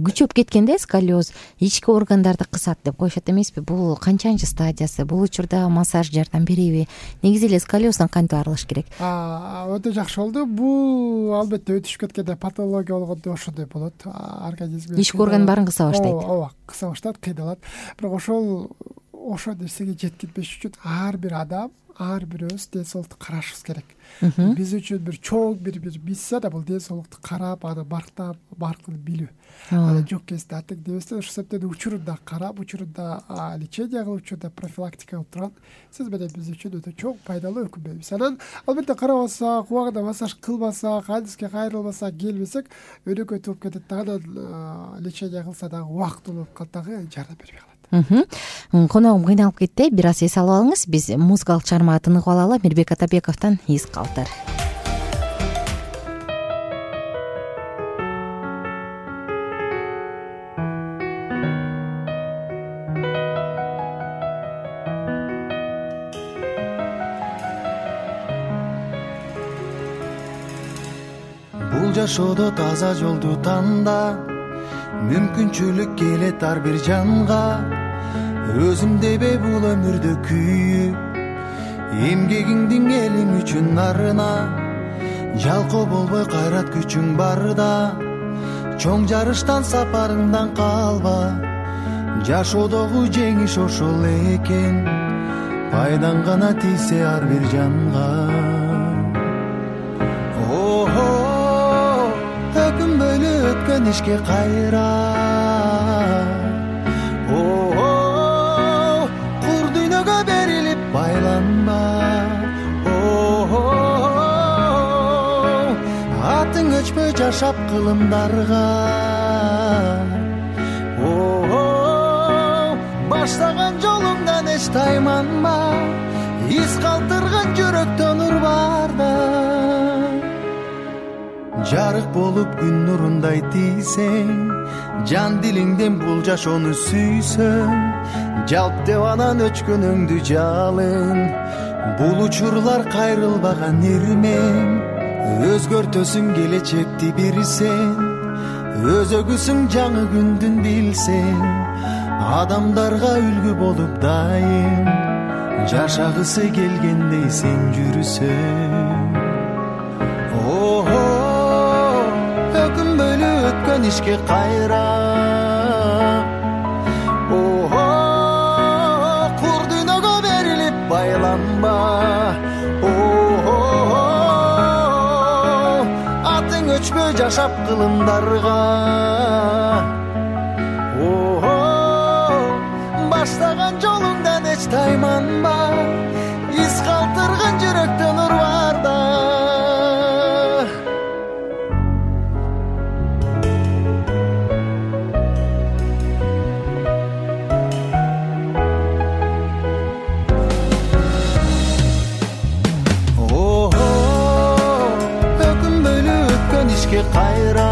күчөп кеткенде сколиоз ички органдарды кысат деп коюшат эмеспи? Бул канчанчы стадиясы? Бул учурда массаж жардам береби? Негизи эле сколиоздон кантип арылыш керек? Өтө жакшы болду. Бул албетте өтүшүп кеткенде патология болгондо ошондой болот. Организм ички орган баарын кыса баштайт. Ооба, кыса баштайт, кыйналат. Бирок ошол ошол нерсеге жеткирбеш үчүн ар бир адам, ар бирөөбүз ден соолукту карашыбыз керек. Биз үчүн бир чоң бир бир миссия да бул ден соолукту карап, аны барктап, баркын билүү. Аны жок кезде атек дебестен, ошол себептен учурунда карап, учурунда лечение кылып, учурунда профилактика кылып турган сиз менен биз үчүн өтө чоң пайдалуу өкүмбүз. Анан албетте карабасак, убагында массаж кылбасак, адиске кайрылбасак, келбесек, өнөкөй туруп кетет да. Анан лечение кылса дагы убактылуу болуп калат дагы, жардам бербей калат. Коногум кыйналып кетти. Бир аз эс алып алыңыз. Биз музыкалык чыгармага тыныгып алалы. Мирбек Атабековдон "Из калтыр". Бул жашоодо таза жолду танда, мүмкүнчүлүк келет ар бир жанга, өзүм дебе бул өмүрдө күйүп, эмгегиңдин элим үчүн нарына, жалкоо болбой кайрат күчүң барда, чоң жарыштан сапарыңдан калба, жашоодогу жеңиш ошол экен, пайдаң гана тийсе ар бир жанга. Ого, өкүнбөйлү өткөн ишке кайра, ого, кур дүйнөгө берилип байланма, ого, атың өчпөй жашап кылымдарга, ого, баштаган жолуңдан эч тайманма, из калтырган жүрөктөн нур барда, жарык болуп күн нурундай тийсең, жан дилиңден бул жашоону сүйсөң, жалп деп анан өчкөнүңдү жалын, бул учурлар кайрылбаган ирмең, өзгөртөсүң келечекти бир сен, өзөгүсүң жаңы күндүн билсең, адамдарга үлгү болуп дайым, жашагысы келгендей сен жүрсөң. Ого, өкүнбөйлү өткөн ишке кайра, ого, кур дүйнөгө берилип байланба, ого, атың өчпөй жашап кылымдарга, ого, баштаган жолуңдан эч тайманба, из калтырган жүрөктөн нур барда. Ого, өкүнбөйлү өткөн ишке кайра,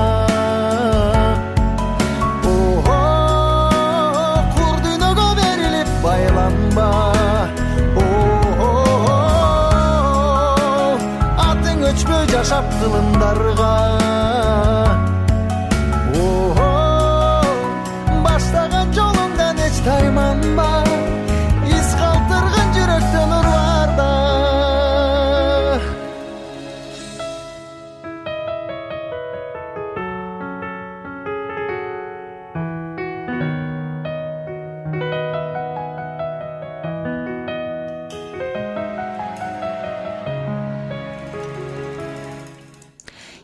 өчпөй жашап кылымдарга, ого, баштаган жолуңдан эч тайманба, из калтырган жүрөктөн нур барда.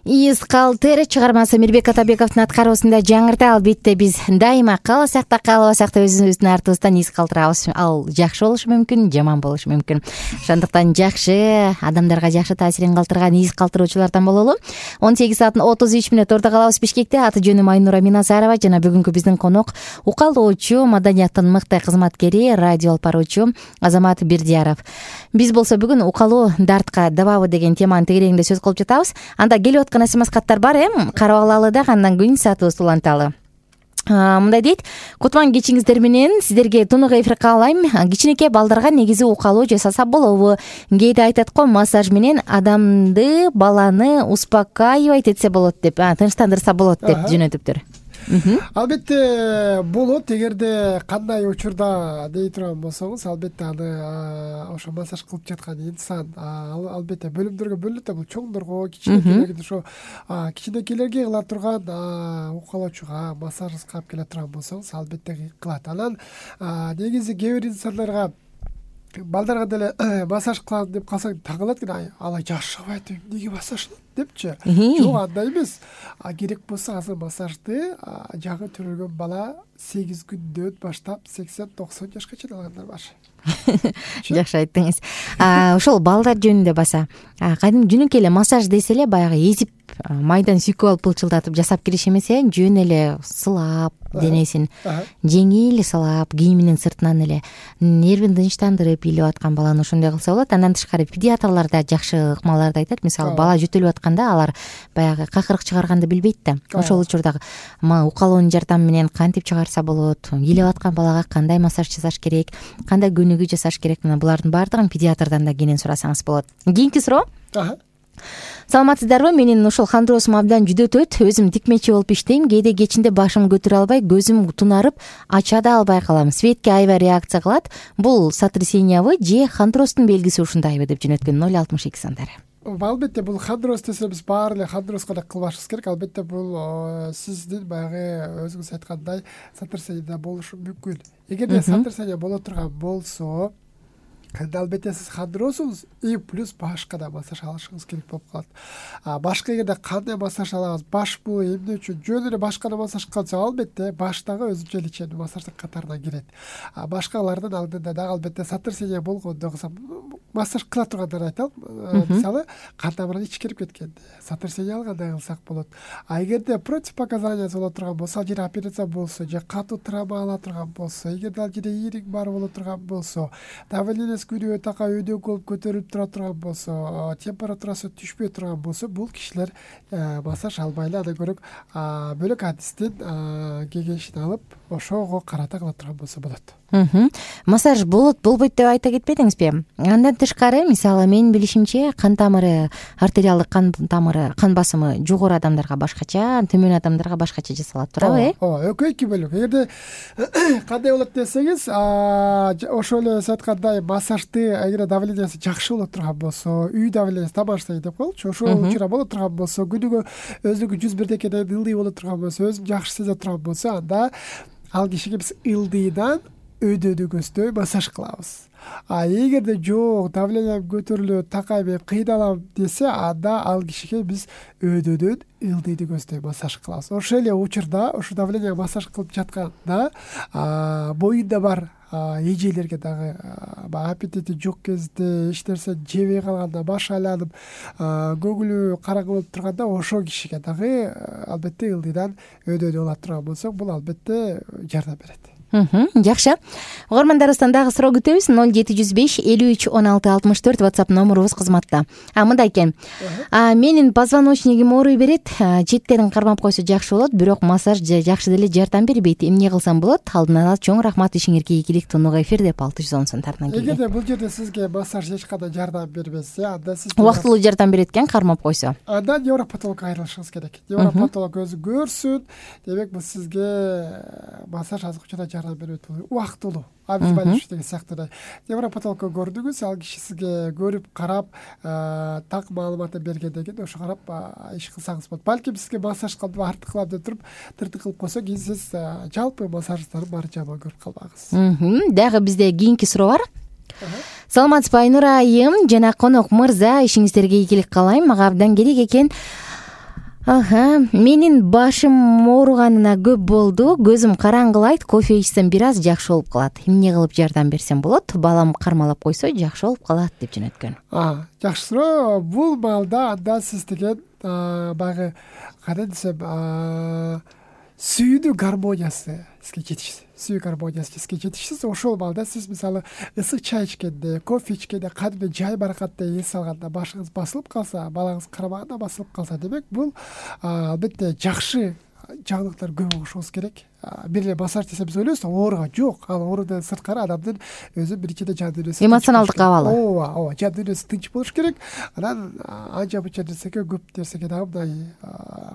Из калтыр чыгармасы Мирбек Атабековдун аткаруусунда жаңырта. Албетте биз дайыма кааласак да каалабасак да өзүбүздүн артыбыздан из калтырабыз. Ал жакшы болушу мүмкүн, жаман болушу мүмкүн. Ошондуктан жакшы, адамдарга жакшы таасирин калтырган из калтыруучулардан бололу. он сегиз сааттын отуз үч мүнөт орто калабыз Бишкекте. Аты жөнүм Айнура Миназарова жана бүгүнкү биздин конок укалоочу, маданияттын мыкты кызматкери, радио алып баруучу Азамат Бердияров. Биз болсо бүгүн укалоо дартка дабабы деген теманын тегерегинде сөз кылып жатабыз. Анда келип аткан смс каттар бар, эм, карап алалы да, андан кийин саатыбызды уланталы. Мындай дейт: кутман кечиңиздер менен, сиздерге тунук эфир каалайм. Кичинекей балдарга негизи укалоо жасаса болобу? Кээде айтат го, массаж менен адамды, баланы успокаивать этсе болот деп, тынчтандырса болот деп жөнөтүптүр. Албетте болот, эгерде кандай учурда дей турган болсоңуз, албетте аны ошо массаж кылып жаткан инсан албетте бөлүмдөргө бөлүнөт. Бул чоңдорго, кичинекейлерге, ошо кичинекейлерге кыла турган укалоочуга, массажга алып келе турган болсоңуз, албетте кылат. Анан негизи кээ бир инсандарга, балдарга деле массаж кылам деп калсаң таң калат экен, ала жашабайт, эмнеге массаж депчи. Жок, андай эмес. Керек болсо азыр массажды жаңы төрөлгөн бала сегиз күндөн баштап сексен токсон жашка чейин алгандар бар. Жакшы айттыңыз. Ошол балдар жөнүндө баса, кадимки жөнөкөй эле массаж десе эле баягы эзип, майдан сүйкөп алып пылчылдатып жасап кириш эмес, э, жөн эле сылап денесин, жеңил сылап, кийиминин сыртынан эле нервин тынчтандырып илип аткан баланы ошондой кылса болот. Андан тышкары педиатрлар да жакшы ыкмаларды айтат. Мисалы, бала жөтөлүп атканда алар баягы какырык чыгарганды билбейт да. Ошол учурда укалоонун жардамы менен кантип чыгарса болот, илип аткан балага кандай массаж жасаш керек, кандай көнүгүү жасаш керек, мына булардын баардыгын педиатрдан да кенен сурасаңыз болот. Кийинки суроо. саламатсыздарбы? Менин ушул хондросум абдан жүдөтөт. Өзүм тикмечи болуп иштейм. Кээде кечинде башым көтөрө албай, көзүм тунарып, ача да албай калам. Светке аябай реакция кылат. Бул сотрясениябы же хондростун белгиси ушундайбы деп жөнөткөн ноль алтымыш эки сандары. Албетте бул хондроз десе биз баары эле хондроска эле кылбашыбыз керек. Албетте бул сиздин баягы өзүңүз айткандай сотрясение болушу мүмкүн. Эгерде сотрясение боло турган болсо, анда албетте сиз хондросуңуз и плюс башка да массаж алышыңыз керек болуп калат. Башка эгерде кандай массаж алабыз, баш бул эмне үчүн жөн эле башка массаж кылса, албетте баштагы өзүнчө лечебный массаждын катарына кирет. Башкалардын алдында дагы албетте сотрясение болгондо массаж кыла тургандарды айталым. Мисалы, кан тамырын ичкирип кеткен, сотрясение алгандай кылсак болот. А эгерде противопоказания боло турган болсо, же операция болсо, же катуу травма ала турган болсо, эгерде ал жерде ийрик бар боло турган болсо, давление күнүгө така өйдө болуп көтөрүлүп тура турган болсо, температурасы түшпөй турган болсо, бул кишилер массаж албай эле анда көрөк бөлөк адистин кеңешин алып, ошого карата кыла турган болсо болот. Массаж болот, болбойт деп айта кетпедиңизби? Андан тышкары, мисалы, менин билишимче, кан тамыры, артериалдык кан тамыры, кан басымы жогору адамдарга башкача, төмөн адамдарга башкача жасалат, туурабы, э? Ооба, экөө эки бөлүк. Эгерде кандай болот десеңиз, ошол эле сиз айткандай массажды эгер давлениясы жакшы боло турган болсо, үй давлениясы домашний деп коелучу, ошол учура боло турган болсо, күнүгө өзүнүн жүз бирдекеден ылдый боло турган болсо, өзүн жакшы сезе турган болсо, анда ал кишиге биз ылдыйдан өйдөнүгөздөй массаж кылабыз. А эгерде жок, давлением көтөрүлөт, такай мен кыйналам десе, анда ал кишиге биз өйдөөдөн ылдыйды көздөй массаж кылабыз. Ошол эле учурда, ошо давление массаж кылып жатканда, боюнда бар эжелерге дагы аппетити жок кезде, эч нерсе жебей калганда, баш айланып, көңүлү караңгы болуп турганда, ошол кишиге дагы албетте ылдыйдан өйдөнүп ала турган болсок, бул албетте жардам берет. Жакшы. Угармандарыбыздан дагы суроо күтөбүз. ноль жети жүз беш элүү үч он алты алтымыш төрт WhatsApp номерубуз кызматта. А мындай экен. Менин позвоночнигим ооруй берет. Четтерин кармап койсо жакшы болот, бирок массаж жакшы деле жардам бербейт. Эмне кылсам болот? Алдын ала чоң рахмат, ишиңерге ийгилик. Тонуга эфир деп алты жүз он сомдарынан келген. Эгерде бул жерде сизге массаж эч кандай жардам бербесе, анда сиз убактылуу жардам берет экен, кармап койсо, анда невропатологко айрылышыңыз керек. Невропатолог өзү көрсүн. Демек, бул сизге массаж азыр учурда жардам берет. Убактылуу. А биз байлыш деген сыяктуу. Невропатологко көрдүңүз, ал киши сизге көрүп, карап, так маалыматын бергенден кийин ошо карап иш кылсаңыз болот. Балким сизге массаж кылып, артык кылам деп туруп, тыртык кылып койсо, кийин сиз жалпы массаждарды баары жаман көрүп калбагыз. Дагы бизде кийинки суроо бар. Саламатсызбы, Айнура айым жана конок мырза, ишиңиздерге ийгилик каалайм. Мага абдан керек экен. Аха, менин башым ооруганына көп болду. Көзүм караңгылайт, кофе ичсем бир аз жакшы болуп калат. Эмне кылып жардам берсем болот? Балам кармалап койсо жакшы болуп калат деп жөнөткөн. А, жакшы суроо. Бул маалда анда сиз деген баягы кандай десем, сүйүүдүн гармониясы сизге жетишсиз. Сүйүү гармониясы сизге жетишсиз. Ошол маалда сиз мисалы ысык чай ичкенде, кофе ичкенде, кадимки жай баракаттай эс алганда башыңыз басылып калса, балаңыз кармаганда басылып калса, демек бул албетте жакшы жаңылыктар көп болушуңуз керек. Бир эле массаж десе биз ойлойбуз, ооруга жок. Ал оорудан сырткары адамдын өзү биринчиден жан дүйнөсү, эмоционалдык абалы. Ооба, ооба, жан дүйнөсү тынч болуш керек. Анан анча мынча нерсеге, көп нерсеге дагы мындай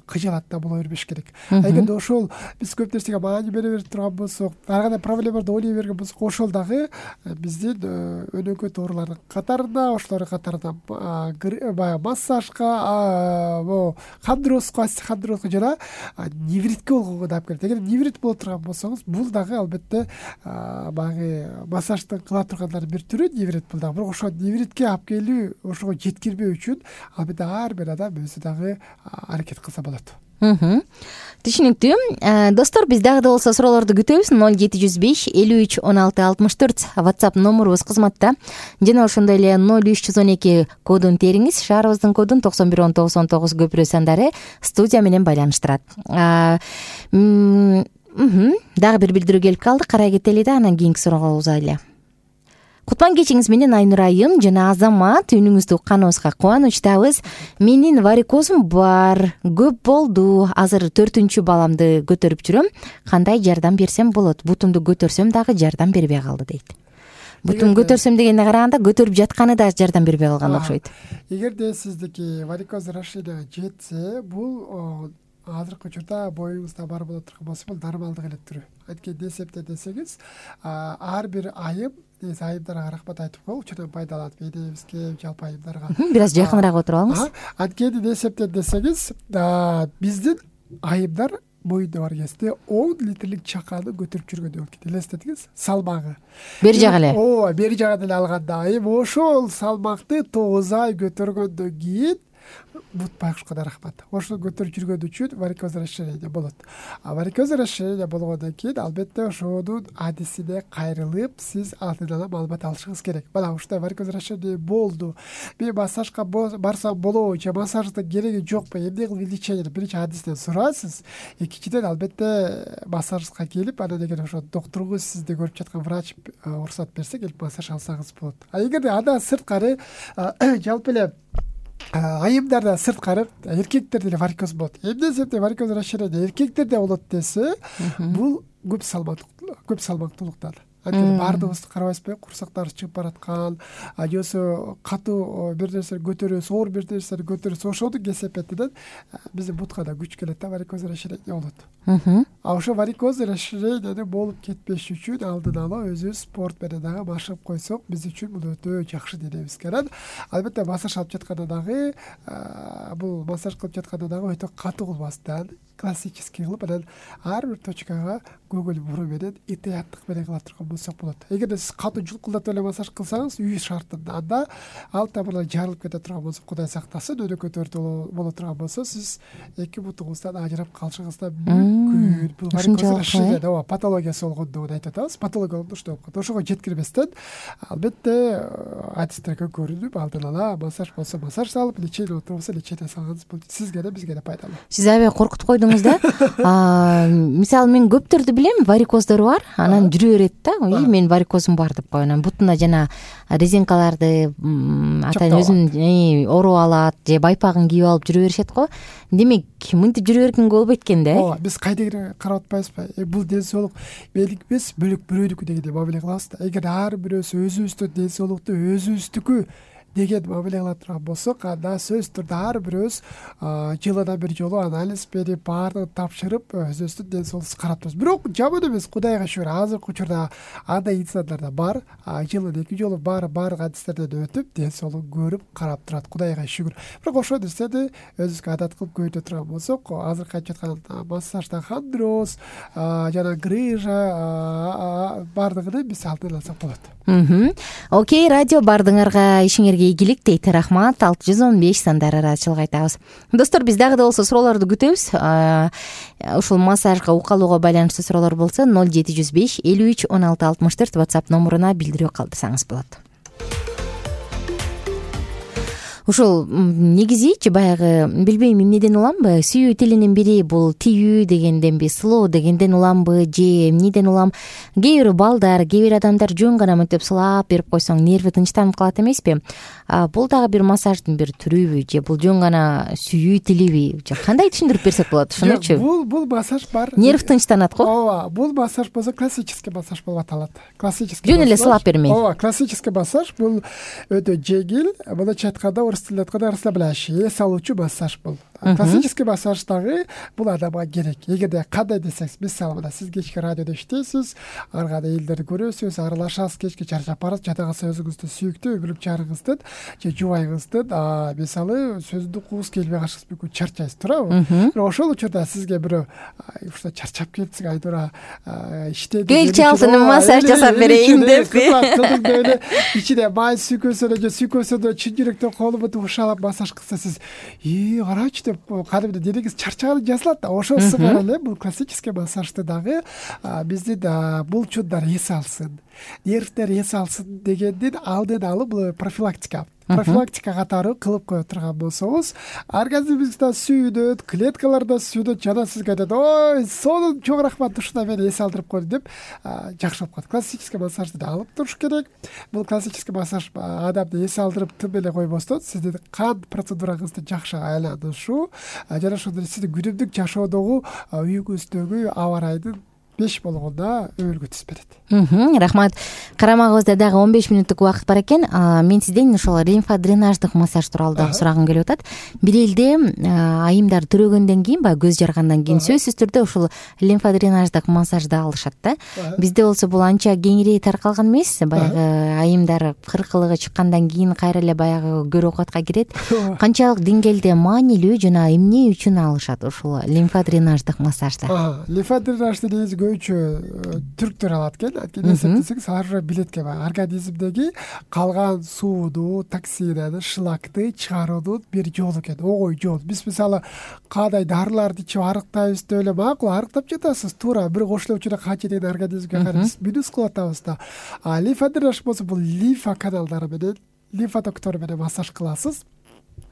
кыжалатта боло бербеш керек. Эгерде ошол биз көп нерсеге маани бере берип турган болсок, ар кандай проблемаларды ойлой берген болсок, ошол дагы биздин өнөкөт оорулардын катарында, ошолордун катарында баягы массажга, могу хондрозго, хондрозго жана невритке болгонго да алып келет. Эгер неврит боло турган болсоңуз, бул дагы албетте баягы массажды кыла тургандардын бир түрү неврит бул дагы. Бирок ошо невритке алып келүү, ошого жеткирбөө үчүн албетте ар бир адам өзү дагы аракет кылса болот. Түшүнүктүү. Достор, биз дагы да болсо суроолорду күтөбүз. ноль жети жүз беш элүү үч он алты алтымыш төрт WhatsApp номерубуз кызматта. Жана ошондой эле ноль үч жүз он эки кодун териңиз. Шаарыбыздын кодун токсон бир он тогуз он тогуз көпүрө сандары студия менен байланыштырат. Дагы бир билдирүү келип калды. Карай кетели да, анан кийинки суроого узайлы. Кутман кечиңиз менен Айнура айым жана Азамат, үнүңүздү укканыбызга кубанычтабыз. Менин варикозум бар, көп болду. Азыр төртүнчү баламды көтөрүп жүрөм. Кандай жардам берсем болот? Бутумду көтөрсөм дагы жардам бербей калды дейт. бутун көтөрсөм дегенге караганда көтөрүп жатканы да жардам бербей калган окшойт. Эгерде сиздики варикоз расширение жетсе, бул азыркы учурда боюңузда бар боло турган болсо бул нормалдык эле түрү. Анткени эсепте десеңиз, ар бир айым, айымдарга рахмат айтып коелу, учурдан пайдаланып эдебизге, жалпы айымдарга бир аз жакыныраак отуруп алыңыз. Анткени эсепте десеңиз, биздин айымдар боюнда бар кезде он литрлик чаканы көтөрүп жүргөн болот. Элестетиңиз, салмагы. Бери жагы эле. Ооба, бери жагы эле алганда айым ошол салмакты тогуз ай көтөргөндөн кийин бут байкушка да рахмат. Ошол көтөрүп жүргөн үчүн варикоз расширение болот. А варикоз расширение болгондон кийин албетте ошонун адисине кайрылып, сиз алдын ала маалымат алышыңыз керек. Мына ушундай варикоз расширение болду. Мен массажга барсам болобу, же массаждын кереги жокпу, эмне кылып лечение биринчи адистен сурайсыз. Экинчиден албетте массажга келип, анан эгер ошо доктургуз сизди көрүп жаткан врач уруксат берсе, келип массаж алсаңыз болот. А эгерде андан сырткары жалпы эле айымдарда сырткары эркектерде эле варикоз болот. Эмне себептен варикоз расширение эркектерде болот десе, бул көп салмактуулук, көп салмактуулуктан. Анткени баардыгыбызды карабайсызбы, курсактарыбыз чыгып бараткан, жосо катуу бир нерсени көтөрөбүз, оор бир нерсени көтөрөбүз, ошонун кесепетинен биздин бутка да күч келет да, варикоз расширение болот. А ошо варикоз расширение болуп кетпеш үчүн алдын ала өзүбүз спорт менен дагы машыгып койсок, биз үчүн бул өтө жакшы денебиз керек. Албетте массаж алып жатканда дагы, бул массаж кылып жатканда дагы өтө катуу кылбастан, классический кылып, анан ар бир точкага көңүл буруу менен итаяттык менен кыла турган болсок болот. Эгерде сиз катуу жулкулдатып эле массаж кылсаңыз, үй шартында, анда ал тамырлар жарылып кете турган болсо, Кудай сактасын, өнөкөй төртү боло турган болсо, сиз эки бутуңуздан ажырап калышыңызда мүмкүн. Бул варикоз расширение, ооба, патологиясы болгондугун айтып атабыз. Патология болгондо ушундай болуп калат. Ошого жеткирбестен, албетте адистерге көрүнүп, алдын ала массаж болсо массаж салып, лечение болсо лечение салганыңыз бул сизге да бизге да пайдалуу. Сиз аябай коркутуп койдуңуз да. Мисалы мен көптөрдү билем, варикоздору бар, анан жүрө берет да. Мен варикозум бар деп коюп, анан бутуна жана резинкаларды атайын өзүн оруп алат, же байпагын кийип алып жүрө беришет го. Демек, мынтип жүрө бергенге болбойт экен да. Ооба, биз кайдыгы карап атпайбызбы? Бул ден соолук меники эмес, бөлөк бирөөнүкү дегендей мамиле кылабыз да. Эгер ар бирөөсү өзүбүздүн ден соолукту өзүбүздүкү деген мамиле кыла турган болсок, анда сөзсүз түрдө ар бирөөбүз жылына бир жолу анализ берип, баардыгын тапшырып, өзүбүздүн ден соолугубузду карап турабыз. Бирок жаман эмес, Кудайга шүгүр, азыркы учурда андай инсандар да бар, жылына эки жолу бар баардык адистерден өтүп, ден соолугун көрүп, карап турат. Кудайга шүгүр. Бирок ошол нерсени өзүбүзгө адат кылып көйнө турган болсок, азыркы айтып жаткан массажда хондроз, жана грыжа баардыгын биз алдын алсак болот. Окей, радио баардыгыңарга ишиңерге ийгилик дейт. Рахмат. алты жүз он беш сандары арачылык айтабыз. Достор, биз дагы да болсо суроолорду күтөбүз. Ушул массажга укалууга байланыштуу суроолор болсо ноль жети жүз беш элүү үч он алты алтымыш төрт WhatsApp номуруна билдирүү калтырсаңыз болот. Ушул негизичи баягы билбейм эмнеден уламбы, сүйүү тилинин бири бул тийүү дегенденби, сылоо дегенден уламбы, же эмнеден улам? Кээ бир балдар, кээ бир адамдар жөн гана мынтип сылап берип койсоң нерви тынчтанып калат эмеспи? Бул дагы бир массаждын бир түрүбү, же бул жөн гана сүйүү тилиби? Же кандай түшүндүрүп берсек болот ушунучу? Бул бул массаж бар. Нерв тынчтанат го. Ооба, бул массаж болсо классический массаж болуп аталат. Классический. Жөн эле сылап бермей. Ооба, классический массаж бул өтө жеңил, мындайча айтканда расслабляющий, эс алуучу массаж бул. Классический массаж дагы бул адамга керек. Эгерде кандай десеңиз, мисалы мына сиз кечки радиодо иштейсиз, ар кандай элдерди көрөсүз, аралашасыз, кечке чарчап барасыз, жата калса өзүңүздүн сүйүктүү өмүрлүк жарыңыздын же жубайыңыздын мисалы сөздү угуңуз келбей калышыңыз мүмкүн, чарчайсыз, туурабы? Бирок ошол учурда сизге бирөө ушундай чарчап келипсиң, Айнура иштеди, келчи алсын массаж жасап берейин деппи? Эле ичине май сүйкөсөнө же сүйкөсөнө чын жүрөктөн колу менен ушалап массаж кылса, сиз и карачы деп кадимде денеңиз чарчаганы жазылат да. Ошол сыңар эле бул классический массажды дагы биздин булчундар эс алсын, нервтер эс алсын дегендин алдын алып бул профилактика. Профилактика катары кылып кое турган болсоңуз, организмиңизде сүйүнөт, клеткаларда сүйүнөт, жана сизге айтат, ой, сонун чоң рахмат, ушундай мени эс алдырып койду деп жакшы болуп калат. Классический массажды да алып туруш керек. Бул классический массаж адамды эс алдырып тым эле койбостон, сиздин кан процедураңызды жакшы айланышуу, жана ошондой сиздин күнүмдүк жашоодогу үйүңүздөгү аба ырайдын беш болгондо өбөлгө түзүп берет. Рахмат. Карамагыбызда дагы он беш мүнөттүк убакыт бар экен. Мен сизден ошол лимфодренаждык массаж тууралуу дагы сурагым келип атат. Бир элде айымдар төрөгөндөн кийин, баягы көз жаргандан кийин сөзсүз түрдө ушул лимфодренаждык массажды алышат да. Бизде болсо бул анча кеңири таркалган эмес. Баягы айымдар кыркылыгы чыккандан кийин кайра эле баягы көр оокатка кирет. Канчалык деңгээлде маанилүү жана эмне үчүн алышат ушул лимфодренаждык массажды? Лимфодренажды негизи көбүнчө түрктөр алат экен. Анткени эсептесеңиз алар уже билет экен, организмдеги калган сууну, токсинаны, шлакты чыгаруунун бир жолу экен, огой жол. Биз мисалы кандай дарыларды ичип арыктайбыз деп эле макул арыктап жатасыз, туура бир кошулуу учурда канча деген организмге карайбыз, минус кылып атабыз да. А лимфодренаж болсо бул лимфа каналдары менен, лимфотоктор менен массаж кыласыз.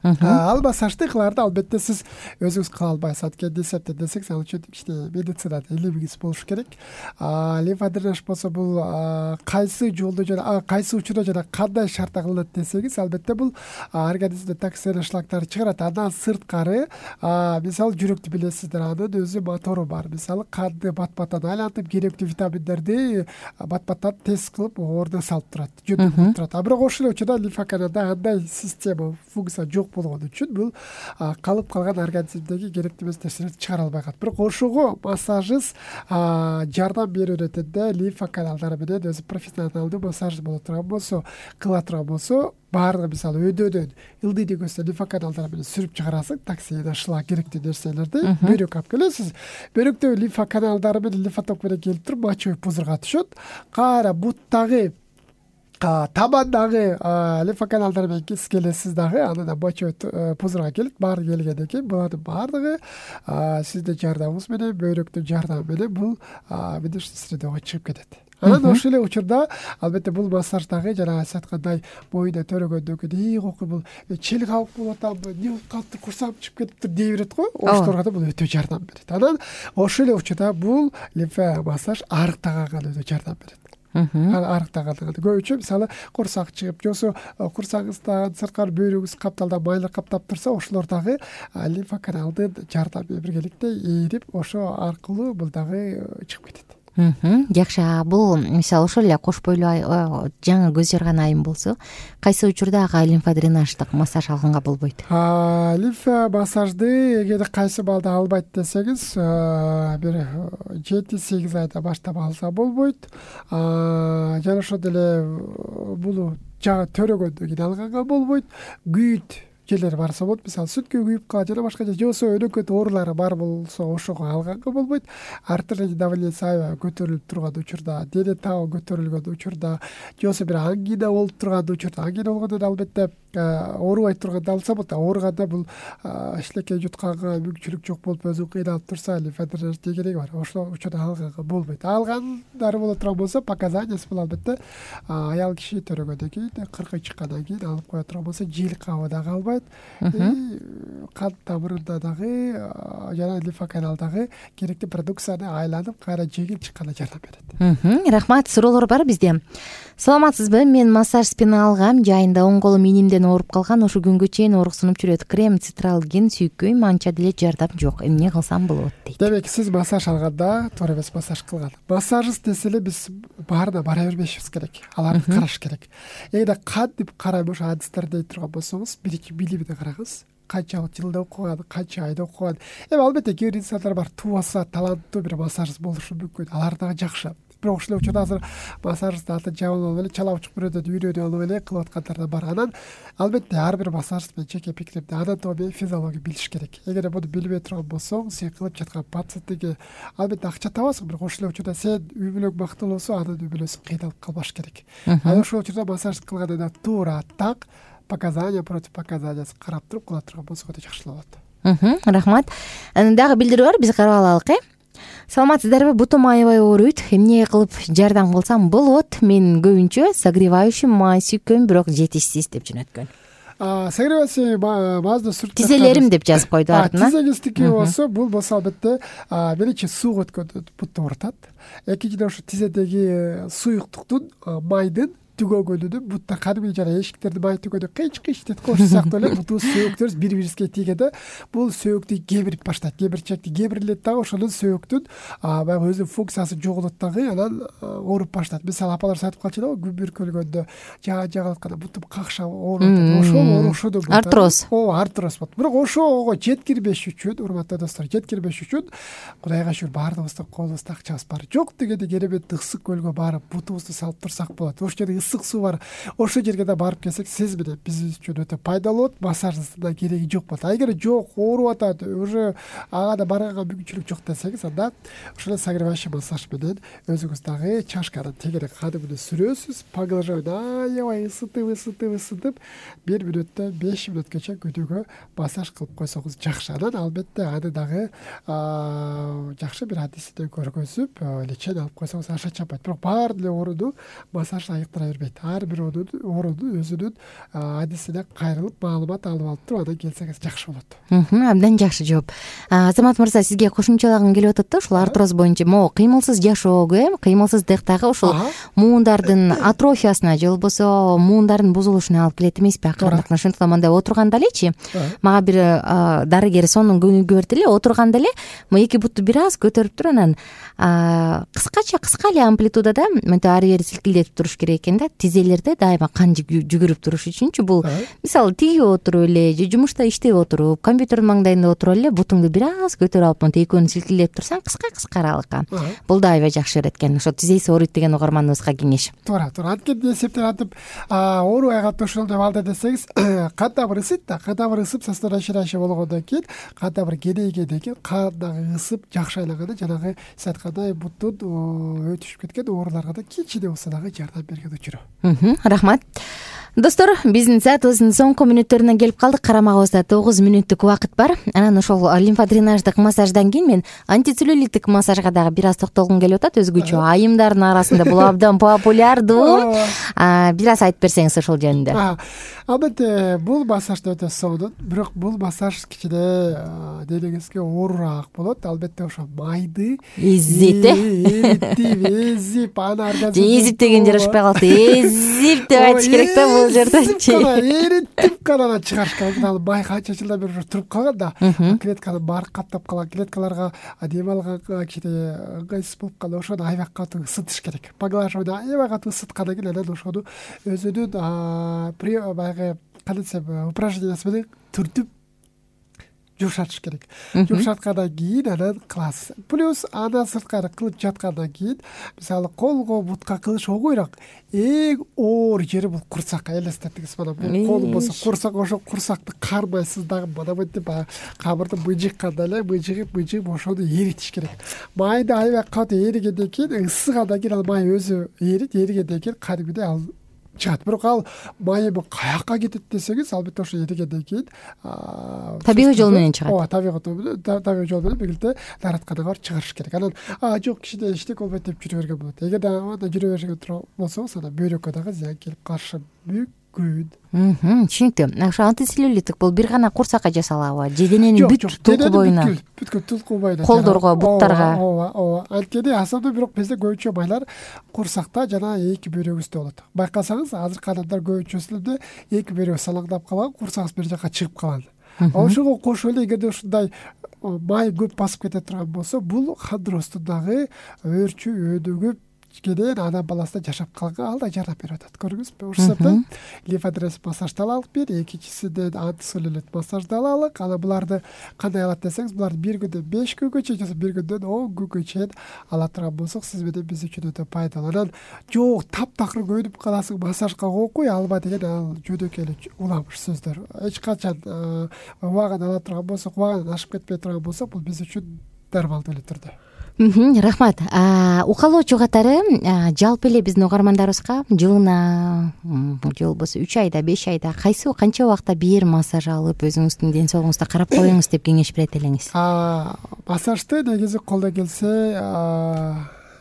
Ал массажды кыларды албетте сиз өзүңүз кыла албайсыз. Анткени эсептесеңиз ал үчүн ичте медицинада илимиңиз болуш керек. Лимфодренаж болсо бул кайсы жолдо жана кайсы учурда жана кандай шартта кылынат десеңиз, албетте бул организмде токсин шлактарды чыгарат. Андан сырткары, мисалы жүрөктү билесиздер, анын өзү мотору бар. Мисалы канды бат-баттан айлантып, керектүү витаминдерди бат-баттан тез кылып ордуна салып турат, жөндөтүп турат. А бирок ошол учурда лимфа каналда андай система, функция жок болгон үчүн бул калып калган организмдеги керектүү эмес нерселерди чыгара албай калат. Бирок ошого массажист жардам берип өтөтөндө лимфа каналдары менен өзү профессионалдуу массаж боло турган болсо, кыла турган болсо, баардыгы мисалы өйдөдөн ылдый көзсө лимфа каналдары менен сүрүп чыгарасың токсин, шлак, керектүү нерселерди. Бөйрөк алып келесиз. Бөйрөктөгү лимфа каналдары менен лимфоток менен келип туруп мочевой пузырьга түшөт. Кайра буттагы табандагы лимфа каналдары менен келесиз дагы, анан мочевой пузырьга келип, баары келгенден кийин булардын баардыгы сиздин жардамыңыз менен, бөйрөктүн жардамы менен бул медичный средага чыгып кетет. Анан ошол эле учурда албетте бул массаж дагы жана сиз айткандай боюна төрөгөндөн кийин ийгокуй бул чел кабык болуп атамбы, эмне болуп калыптыр, курсагым чыгып кетиптир дей берет го. Ошолорго да бул өтө жардам берет. Анан ошол эле учурда бул лимфа массаж арыктаганга өтө жардам берет. Арыктаганга көбүнчө мисалы курсак чыгып, жосо курсагыңыздан сырткары бөйрөгүңүз капталдан майлар каптап турса, ошолор дагы лимфа каналдын жардамы менен биргеликте ээрип, ошо аркылуу бул дагы чыгып кетет. Жакшы. Бул мисалы ошол эле кош бойлуу жаңы көз жарган айым болсо, кайсы учурда ага лимфодренаждык массаж алганга болбойт? Лимфа массажды эгер кайсы балда албайт десеңиз, бир жети сегиз айда баштап алса болбойт. Жана ошондой эле бул жаңы төрөгөндөн кийин алганга болбойт. Күйүт жерлери барса болот, мисалы сүткө күйүп калат жана башка жосо өнөкөт оорулары бар болсо ошого алганга болбойт. Артериялык давлениеси аябай көтөрүлүп турган учурда, дене табы көтөрүлгөн учурда, жосо бир ангина болуп турган учурда, ангина болгондо албетте оорубай турганда алса болот. Ооруганда бул ишлекей жутканга мүмкүнчүлүк жок болуп өзү кыйналып турса, лимфодренаж кереги бар. Ошол учурда алганга болбойт. Алгандары боло турган болсо, показаниясы бул албетте аял киши төрөгөндөн кийин, кыркы чыккандан кийин алып кое турган болсо, жил кабы дагы албайт. Кан тамырында дагы жана лимфа каналдагы керектүү продукцияны айланып, кайра жеңил чыкканга жардам берет. Рахмат. Суроолор бар бизде. Саламатсызбы? Мен массаж спина алгам, жайында оң колум минимден ооруп калган, ошо күнгө чейин ооруксунуп жүрөт. Крем, цитралгин сүйкөйм, анча деле жардам жок. Эмне кылсам болот дейт. Демек, сиз массаж алганда туура эмес массаж кылган. Массажист десе эле биз баарына бара бербешибиз керек. Аларды караш керек. Эгерде кантип карайм ошо адистер дей турган болсоңуз, биринчи билимине караңыз. Канча жылда окуган, канча айда окуган. Эми албетте кээ бир инсандар бар, туаса таланттуу бир массажист болушу мүмкүн. Алар дагы жакшы. Бирок ошол учурда азыр массажистти атын жаман алып эле чала учук бирөөдөн үйрөнүп алып эле кылып аткандар да бар. Анан албетте ар бир массажист менен жеке пикиримде анатомия, физиология билиш керек. Эгер буну билбей турган болсоң, сен кылып жаткан пациентиңе албетте акча табасың, бирок ошол учурда сен үй бүлөң бактылуу болсо, анын үй бүлөсү кыйналып калбаш керек. Анан ошол учурда массажист кылганда туура так показания против показаниясын карап туруп кыла турган болсо өтө жакшы болот. Рахмат. Дагы билдирүү бар, биз карап алалык, э? Саламатсыздарбы? Бутум аябай ооруйт. Эмне кылып жардам кылсам болот? Мен көбүнчө согревающий май сүйкөйм, бирок жетишсиз деп жөнөткөн. Согревающий мазды сүртүп тизелерим деп жазып койду артына. Тизеңиздики болсо, бул болсо албетте биринчи сууга өткөндө бутты оорутат. Экинчиден ошо тизедеги суюктуктун, майдын түгөгөнүнү бутта кадимки жана эшиктерди май түгөдө кыйч кыйч теткош сыяктуу эле бутубуз сөөктөрүбүз бири бирибизге тийгенде бул сөөктү кебирип баштайт, кебирчекти кебирилет дагы ошонун сөөктүн баягы өзүнүн функциясын жоголот дагы, анан ооруп баштайт. Мисалы апаларыбыз айтып калчу да, күн бүркөлгөндө жаа жагалап атканда бутум какшап ооруп атат, ошол оорушууну артроз. Ооба, артроз болот. Бирок ошого жеткирбеш үчүн, урматтуу достор, жеткирбеш үчүн Кудайга шүгүр баардыгыбыздын колубузда акчабыз бар. Жок дегенде керемет ысык көлгө барып бутубузду салып турсак болот. Ошол жерде ысык суу бар. Ошол жерге да барып келсек, сиз менен биз үчүн өтө пайдалуу болот. Массаждын да кереги жок болот. А эгер жок, ооруп атат, уже ага да барганга мүмкүнчүлүк жок десеңиз, анда ошол согревающий массаж менен өзүңүз дагы чашканын тегере кадимине сүрөсүз, поглаживание аябай ысытып, ысытып, ысытып бир мүнөттөн беш мүнөткөчө күнүгө массаж кылып койсоңуз жакшы. Анан албетте аны дагы жакшы бир адисине көргөзүп, лечение алып койсоңуз аша чаппайт. Бирок баары эле ооруну массаж айыктыра бербейт. Ар бир ооруну өзүнүн адисине кайрылып, маалымат алып алып туруп анан келсеңиз жакшы болот. Абдан жакшы жооп. Азамат мырза, сизге кошумчалагым келип атат да, ушул артроз боюнча. Могу кыймылсыз жашоого, э, кыймылсыздык дагы ушул муундардын атрофиясына же болбосо муундардын бузулушуна алып келет эмеспи акырындык. Ошондуктан мындай отурганда элечи, мага бир дарыгер сонун көңүлгө берди эле, отурганда эле эки бутту бир аз көтөрүп туруп, анан кыскача кыска эле амплитудада мынтип ары бери силкилдетип туруш керек экен да, тизелерде дайыма кан жүгүрүп туруш үчүнчү. Бул мисалы тигип отуруп эле же жумушта иштеп отуруп, компьютердин маңдайында отуруп эле бутуңду бир аз көтөрүп алып мынтип экөөнү силкилдеп турсаң, кыска-кыска аралыкка, бул да аябай жакшы берет экен. Ошо тизеси ооруйт деген угарманыбызга кеңеш. Туура, туура. Анткени эсептен атып, оорубай калып ошол деп алды десеңиз, кан тамыр ысыйт да, кан тамыр ысып, состояние болгондон кийин, кан тамыр кенейгенден кийин кан дагы ысып, жакшы айланганда жанагы сиз айткандай буттун өтүшүп кеткен ооруларга да кичине болсо дагы жардам берген учуру. Рахмат. Достор, биздин саатыбыздын соңку мүнөттөрүнө келип калдык. Карамагыбызда тогуз мүнөттүк убакыт бар. Анан ошол лимфодренаждык массаждан кийин мен антицеллюлиттик массажга дагы бир аз токтолгум келип атат. Өзгөчө айымдардын арасында бул абдан популярдуу. Бир аз айтып берсеңиз ошол жөнүндө. Албетте, бул массаж өтө сонун, бирок бул массаж кичине денеңизге оорураак болот. Албетте ошо майды эзип, эритип, эзип, аны организм эзип деген жарашпай калды. Эзип деп айтыш керек да бул жердечи. Эритип гана чыгарыш керек. Ал май канча жылдан бери туруп калган да, клетканы баары каптап калган, клеткаларга дем алганга кичине ыңгайсыз болуп калды. Ошону аябай катуу ысытыш керек. Поглаживание аябай катуу ысыткандан кийин анан ошону өзүнүн баягы кандай десем упражнениясы менен түртүп жумшатыш керек. Жумшаткандан кийин анан кыласыз. Плюс андан сырткары кылып жаткандан кийин, мисалы колго, бутка кылыш оңойраак. Эң оор жери бул курсак. Элестетиңиз, мына бул кол болсо курсак, ошо курсакты кармайсыз дагы мына мынтип камырды мыжыккандай эле мыжыгып мыжыгып ошону эритиш керек. Майды аябай катуу эригенден кийин, ысыгандан кийин ал май өзү эрит, эригенден кийин кадимгидей ал чыгат. Бирок ал майы каякка кетет десеңиз, албетте ошо эригенден кийин табигый жол менен чыгат. Ооба, табигый табигый жол менен бирге дааратканага барып чыгарыш керек. Анан жок кичине иштек болбойт деп жүрө берген болот. Эгер да жүрө берген болсоңуз, анан бөйрөккө дагы зыян келип калышы мүмкүн. Түшүнүктүү. Ошо антицеллюлиттик бул бир гана курсакка жасалабы? Же дененин бүт тулку боюна? Бүткүл тулку боюна. Колдорго, буттарга. Ооба, ооба. Анткени асабда бирок бизде көбүнчө майлар курсакта жана эки бөйрөгүбүздө болот. Байкасаңыз, азыркы адамдар көбүнчөсүндө эки бөйрөгү салаңдап калган, курсагыбыз бир жака чыгып калган. Ошого кошуп эле эгерде ушундай май көп басып кете турган болсо, бул хондроздун дагы өөрчү өйдөгүп кенен анан баласында жашап калганга ал да жардам берип атат. Көрдүңүзбү? Ошол себептен лимфодренаж массажды алалык бир, экинчисинен антицеллюлит массажды алалык. Анан буларды кандай алат десеңиз, буларды бир күндөн беш күнгө чейин же бир күндөн он күнгө чейин ала турган болсок, сиз менен биз үчүн өтө пайдалуу. Анан жок таптакыр көйнүп каласың, массажга окуй алба деген ал жөнөкөй эле уламыш сөздөр. Эч качан убагын ала турган болсок, убагын ашып кетпей турган болсок, бул биз үчүн нормалдуу эле түрдө. Рахмат. Укалоочу катары жалпы эле биздин угармандарыбызга жылына же болбосо үч айда, беш айда кайсы канча убакта бир массаж алып, өзүңүздүн ден соолугуңузду карап коюңуз деп кеңеш берет элеңиз? Массажды негизи колдон келсе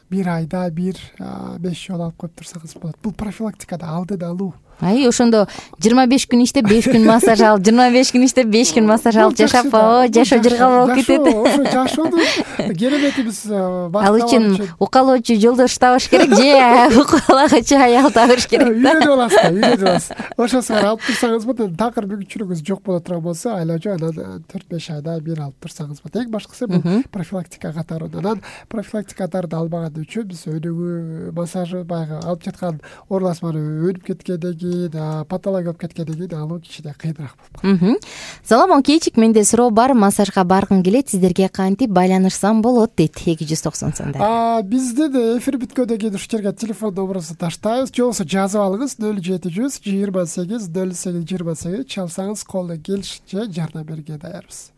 бир айда бир беш жолу алып коюп турсаңыз болот. Бул профилактикада алдын алуу. ай ошондо жыйырма беш күн иштеп беш күн массаж алып, жыйырма беш күн иштеп беш күн массаж алып жашап о жашоо жыргал болуп кетет. Ошо жашоодун кереметибиз. Ал үчүн укалоочу жолдош табыш керек же укалагычы аял табыш керек да. Үйрөнүп аласыз да, үйрөнүп аласыз. Ошосу бар алып турсаңыз болот, такыр мүмкүнчүлүгүңүз жок боло турган болсо, айлача анан төрт беш айда бир алып турсаңыз болот. Эң башкысы бул профилактика катары. Анан профилактика катары албаган үчүн биз өнүгүү массажы баягы алып жаткан ооруласманы өнүп кеткенден кийин, патология болуп кеткенден кийин алуу кичине кыйыныраак болуп калат. Салам Кейчик, менде суроо бар. Массажга баргым келет, сиздерге кантип байланышсам болот дейт. эки жүз токсон сандагы. Биздин эфир бүткөндөн кийин ушул жерге телефон номерубузду таштайбыз. Же болбосо жазып алыңыз нөл жети жүз жыйырма сегиз нөл сегиз жыйырма сегиз. Чалсаңыз колдон келишинче жардам берүүгө даярбыз.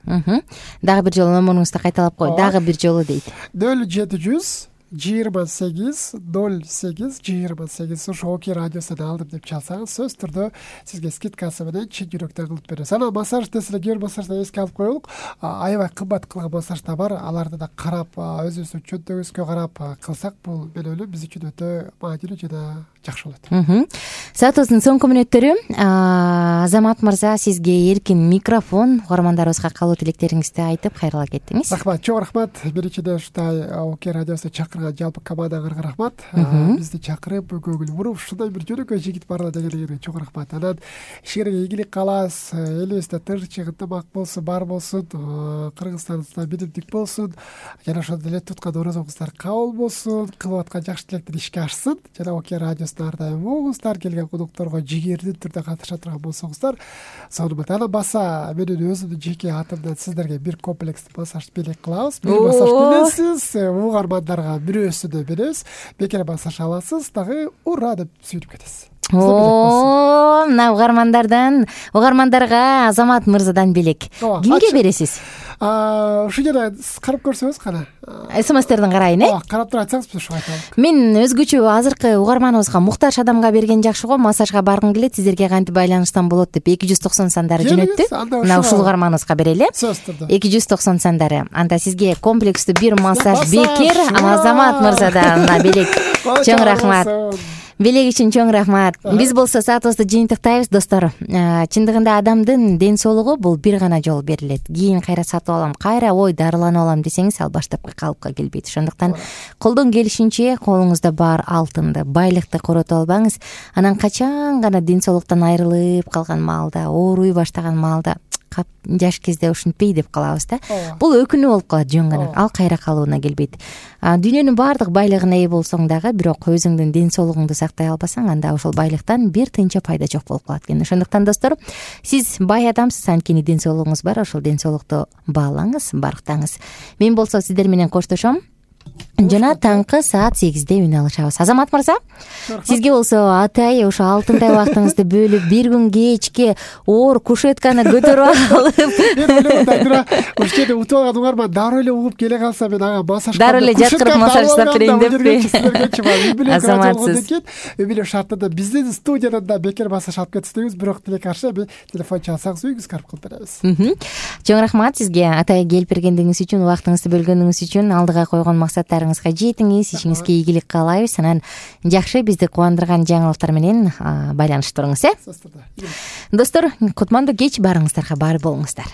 Дагы бир жолу номеруңузду кайталап кой. Дагы бир жолу дейт. нөл жети жүз жыйырма сегиз нөл сегиз жыйырма сегиз. Ошо Оки радиосунан алдым деп чалсаңыз сөзсүз түрдө сизге скидкасы менен чын жүрөктөн кылып беребиз. Анан массаж десе кээ бир массажды эске алып коелук. Аябай кымбат кылган массаждар бар. Аларды да карап, өзүбүздүн чөнтөгүбүзгө карап кылсак, бул мен ойлойм биз үчүн өтө маанилүү жана жакшы болот. Саатыбыздын соңку мүнөттөрү. Азамат мырза, сизге эркин микрофон. Угармандарыбызга калуу тилектериңизди айтып кайрыла кеттиңиз. Рахмат, чоң рахмат. Биринчиден ушундай Оки радиосуна чакырган жалпы командаңарга рахмат. Бизди чакырып, көңүл буруп, ушундай бир жөнөкөй жигит бар дегенге чоң рахмат. Анан ишиңерге ийгилик каалабыз. Элибизде тынччык, ынтымак болсун, бар болсун. Кыргызстаныбызда биримдик болсун. Жана ошондой эле туткан оразаңыздар кабыл болсун. Кылып аткан жакшы тилектер ишке ашсын. Жана Оки радиосуна ар дайым угуңуздар, келген конокторго жигердин түрдө катыша турган болсоңуздар, сонун болот. Анан баса менин өзүмдүн жеке атымдан сиздерге бир комплекс массаж белек кылабыз. Бир массаж бересиз, угармандарга бирөөсүнө беребиз. Бекер массаж аласыз, дагы ура деп сүйүнүп кетесиз. О, мына угармандардан, угармандарга Азамат мырзадан белек. Кимге бересиз? Ушул жерде карап көрсөңүз кана. СМСтерден карайын, э? Ооба, карап туруп айтсаңыз биз ошого айтабыз. Мен өзгөчө азыркы угарманыбызга муктаж адамга берген жакшы го. Массажга баргым келет, сиздерге кантип байланышсам болот деп эки жүз токсон сандары жөнөттү. Мына ушул угарманыбызга берели. эки жүз токсон сандары. Анда сизге комплекстүү бир массаж бекер Азамат мырзадан белек. Чоң рахмат. Белек үчүн чоң рахмат. Биз болсо саатыбызды жыйынтыктайбыз, достор. Чындыгында адамдын ден соолугу бул бир гана жолу берилет. Кийин кайра сатып алам, кайра ой дарыланып алам десеңиз, ал баштапкы калыпка келбейт. Ошондуктан колдон келишинче колуңузда бар алтынды, байлыкты коротуп албаңыз. Анан качан гана ден соолуктан айрылып калган маалда, ооруй баштаган маалда жаш кезде ушинтпей деп калабыз да. Бул өкүнүү болуп калат жөн гана. Ал кайра калууна келбейт. Дүйнөнүн баардык байлыгына ээ болсоң дагы, бирок өзүңдүн ден соолугуңду сактай албасаң, анда ошол байлыктан бир тыйынча пайда жок болуп калат экен. Ошондуктан достор, сиз бай адамсыз, анткени ден соолугуңуз бар. Ошол ден соолукту баалаңыз, барктаңыз. Мен болсо сиздер менен коштошом. Жана таңкы саат сегизде үн алышабыз. Азамат мырза, сизге болсо атай ошо алтындай убактыңызды бөлүп, бир күн кечке оор кушетканы көтөрүп алып. Мен ойлойм, ушул жерде утуп алган угарман дароо эле угуп келе калса, мен ага массаж дароо эле жаткырып массаж жасап берейин деппи. Азаматсыз. Эмиле шартында биздин студиядан да бекер массаж алып кетсеңиз, бирок тилек каршы телефон чалсаңыз үйүңүзгө карап кылып беребиз. Чоң рахмат сизге атай келип бергендиңиз үчүн, убактыңызды бөлгөнүңүз үчүн. Алдыга койгон максаттарыңызга жетиңиз, ишиңизге ийгилик каалайбыз. Анан жакшы бизди кубандырган жаңылыктар менен байланышып туруңуз, э? Достор, кутмандуу кеч баарыңыздарга бар болуңуздар.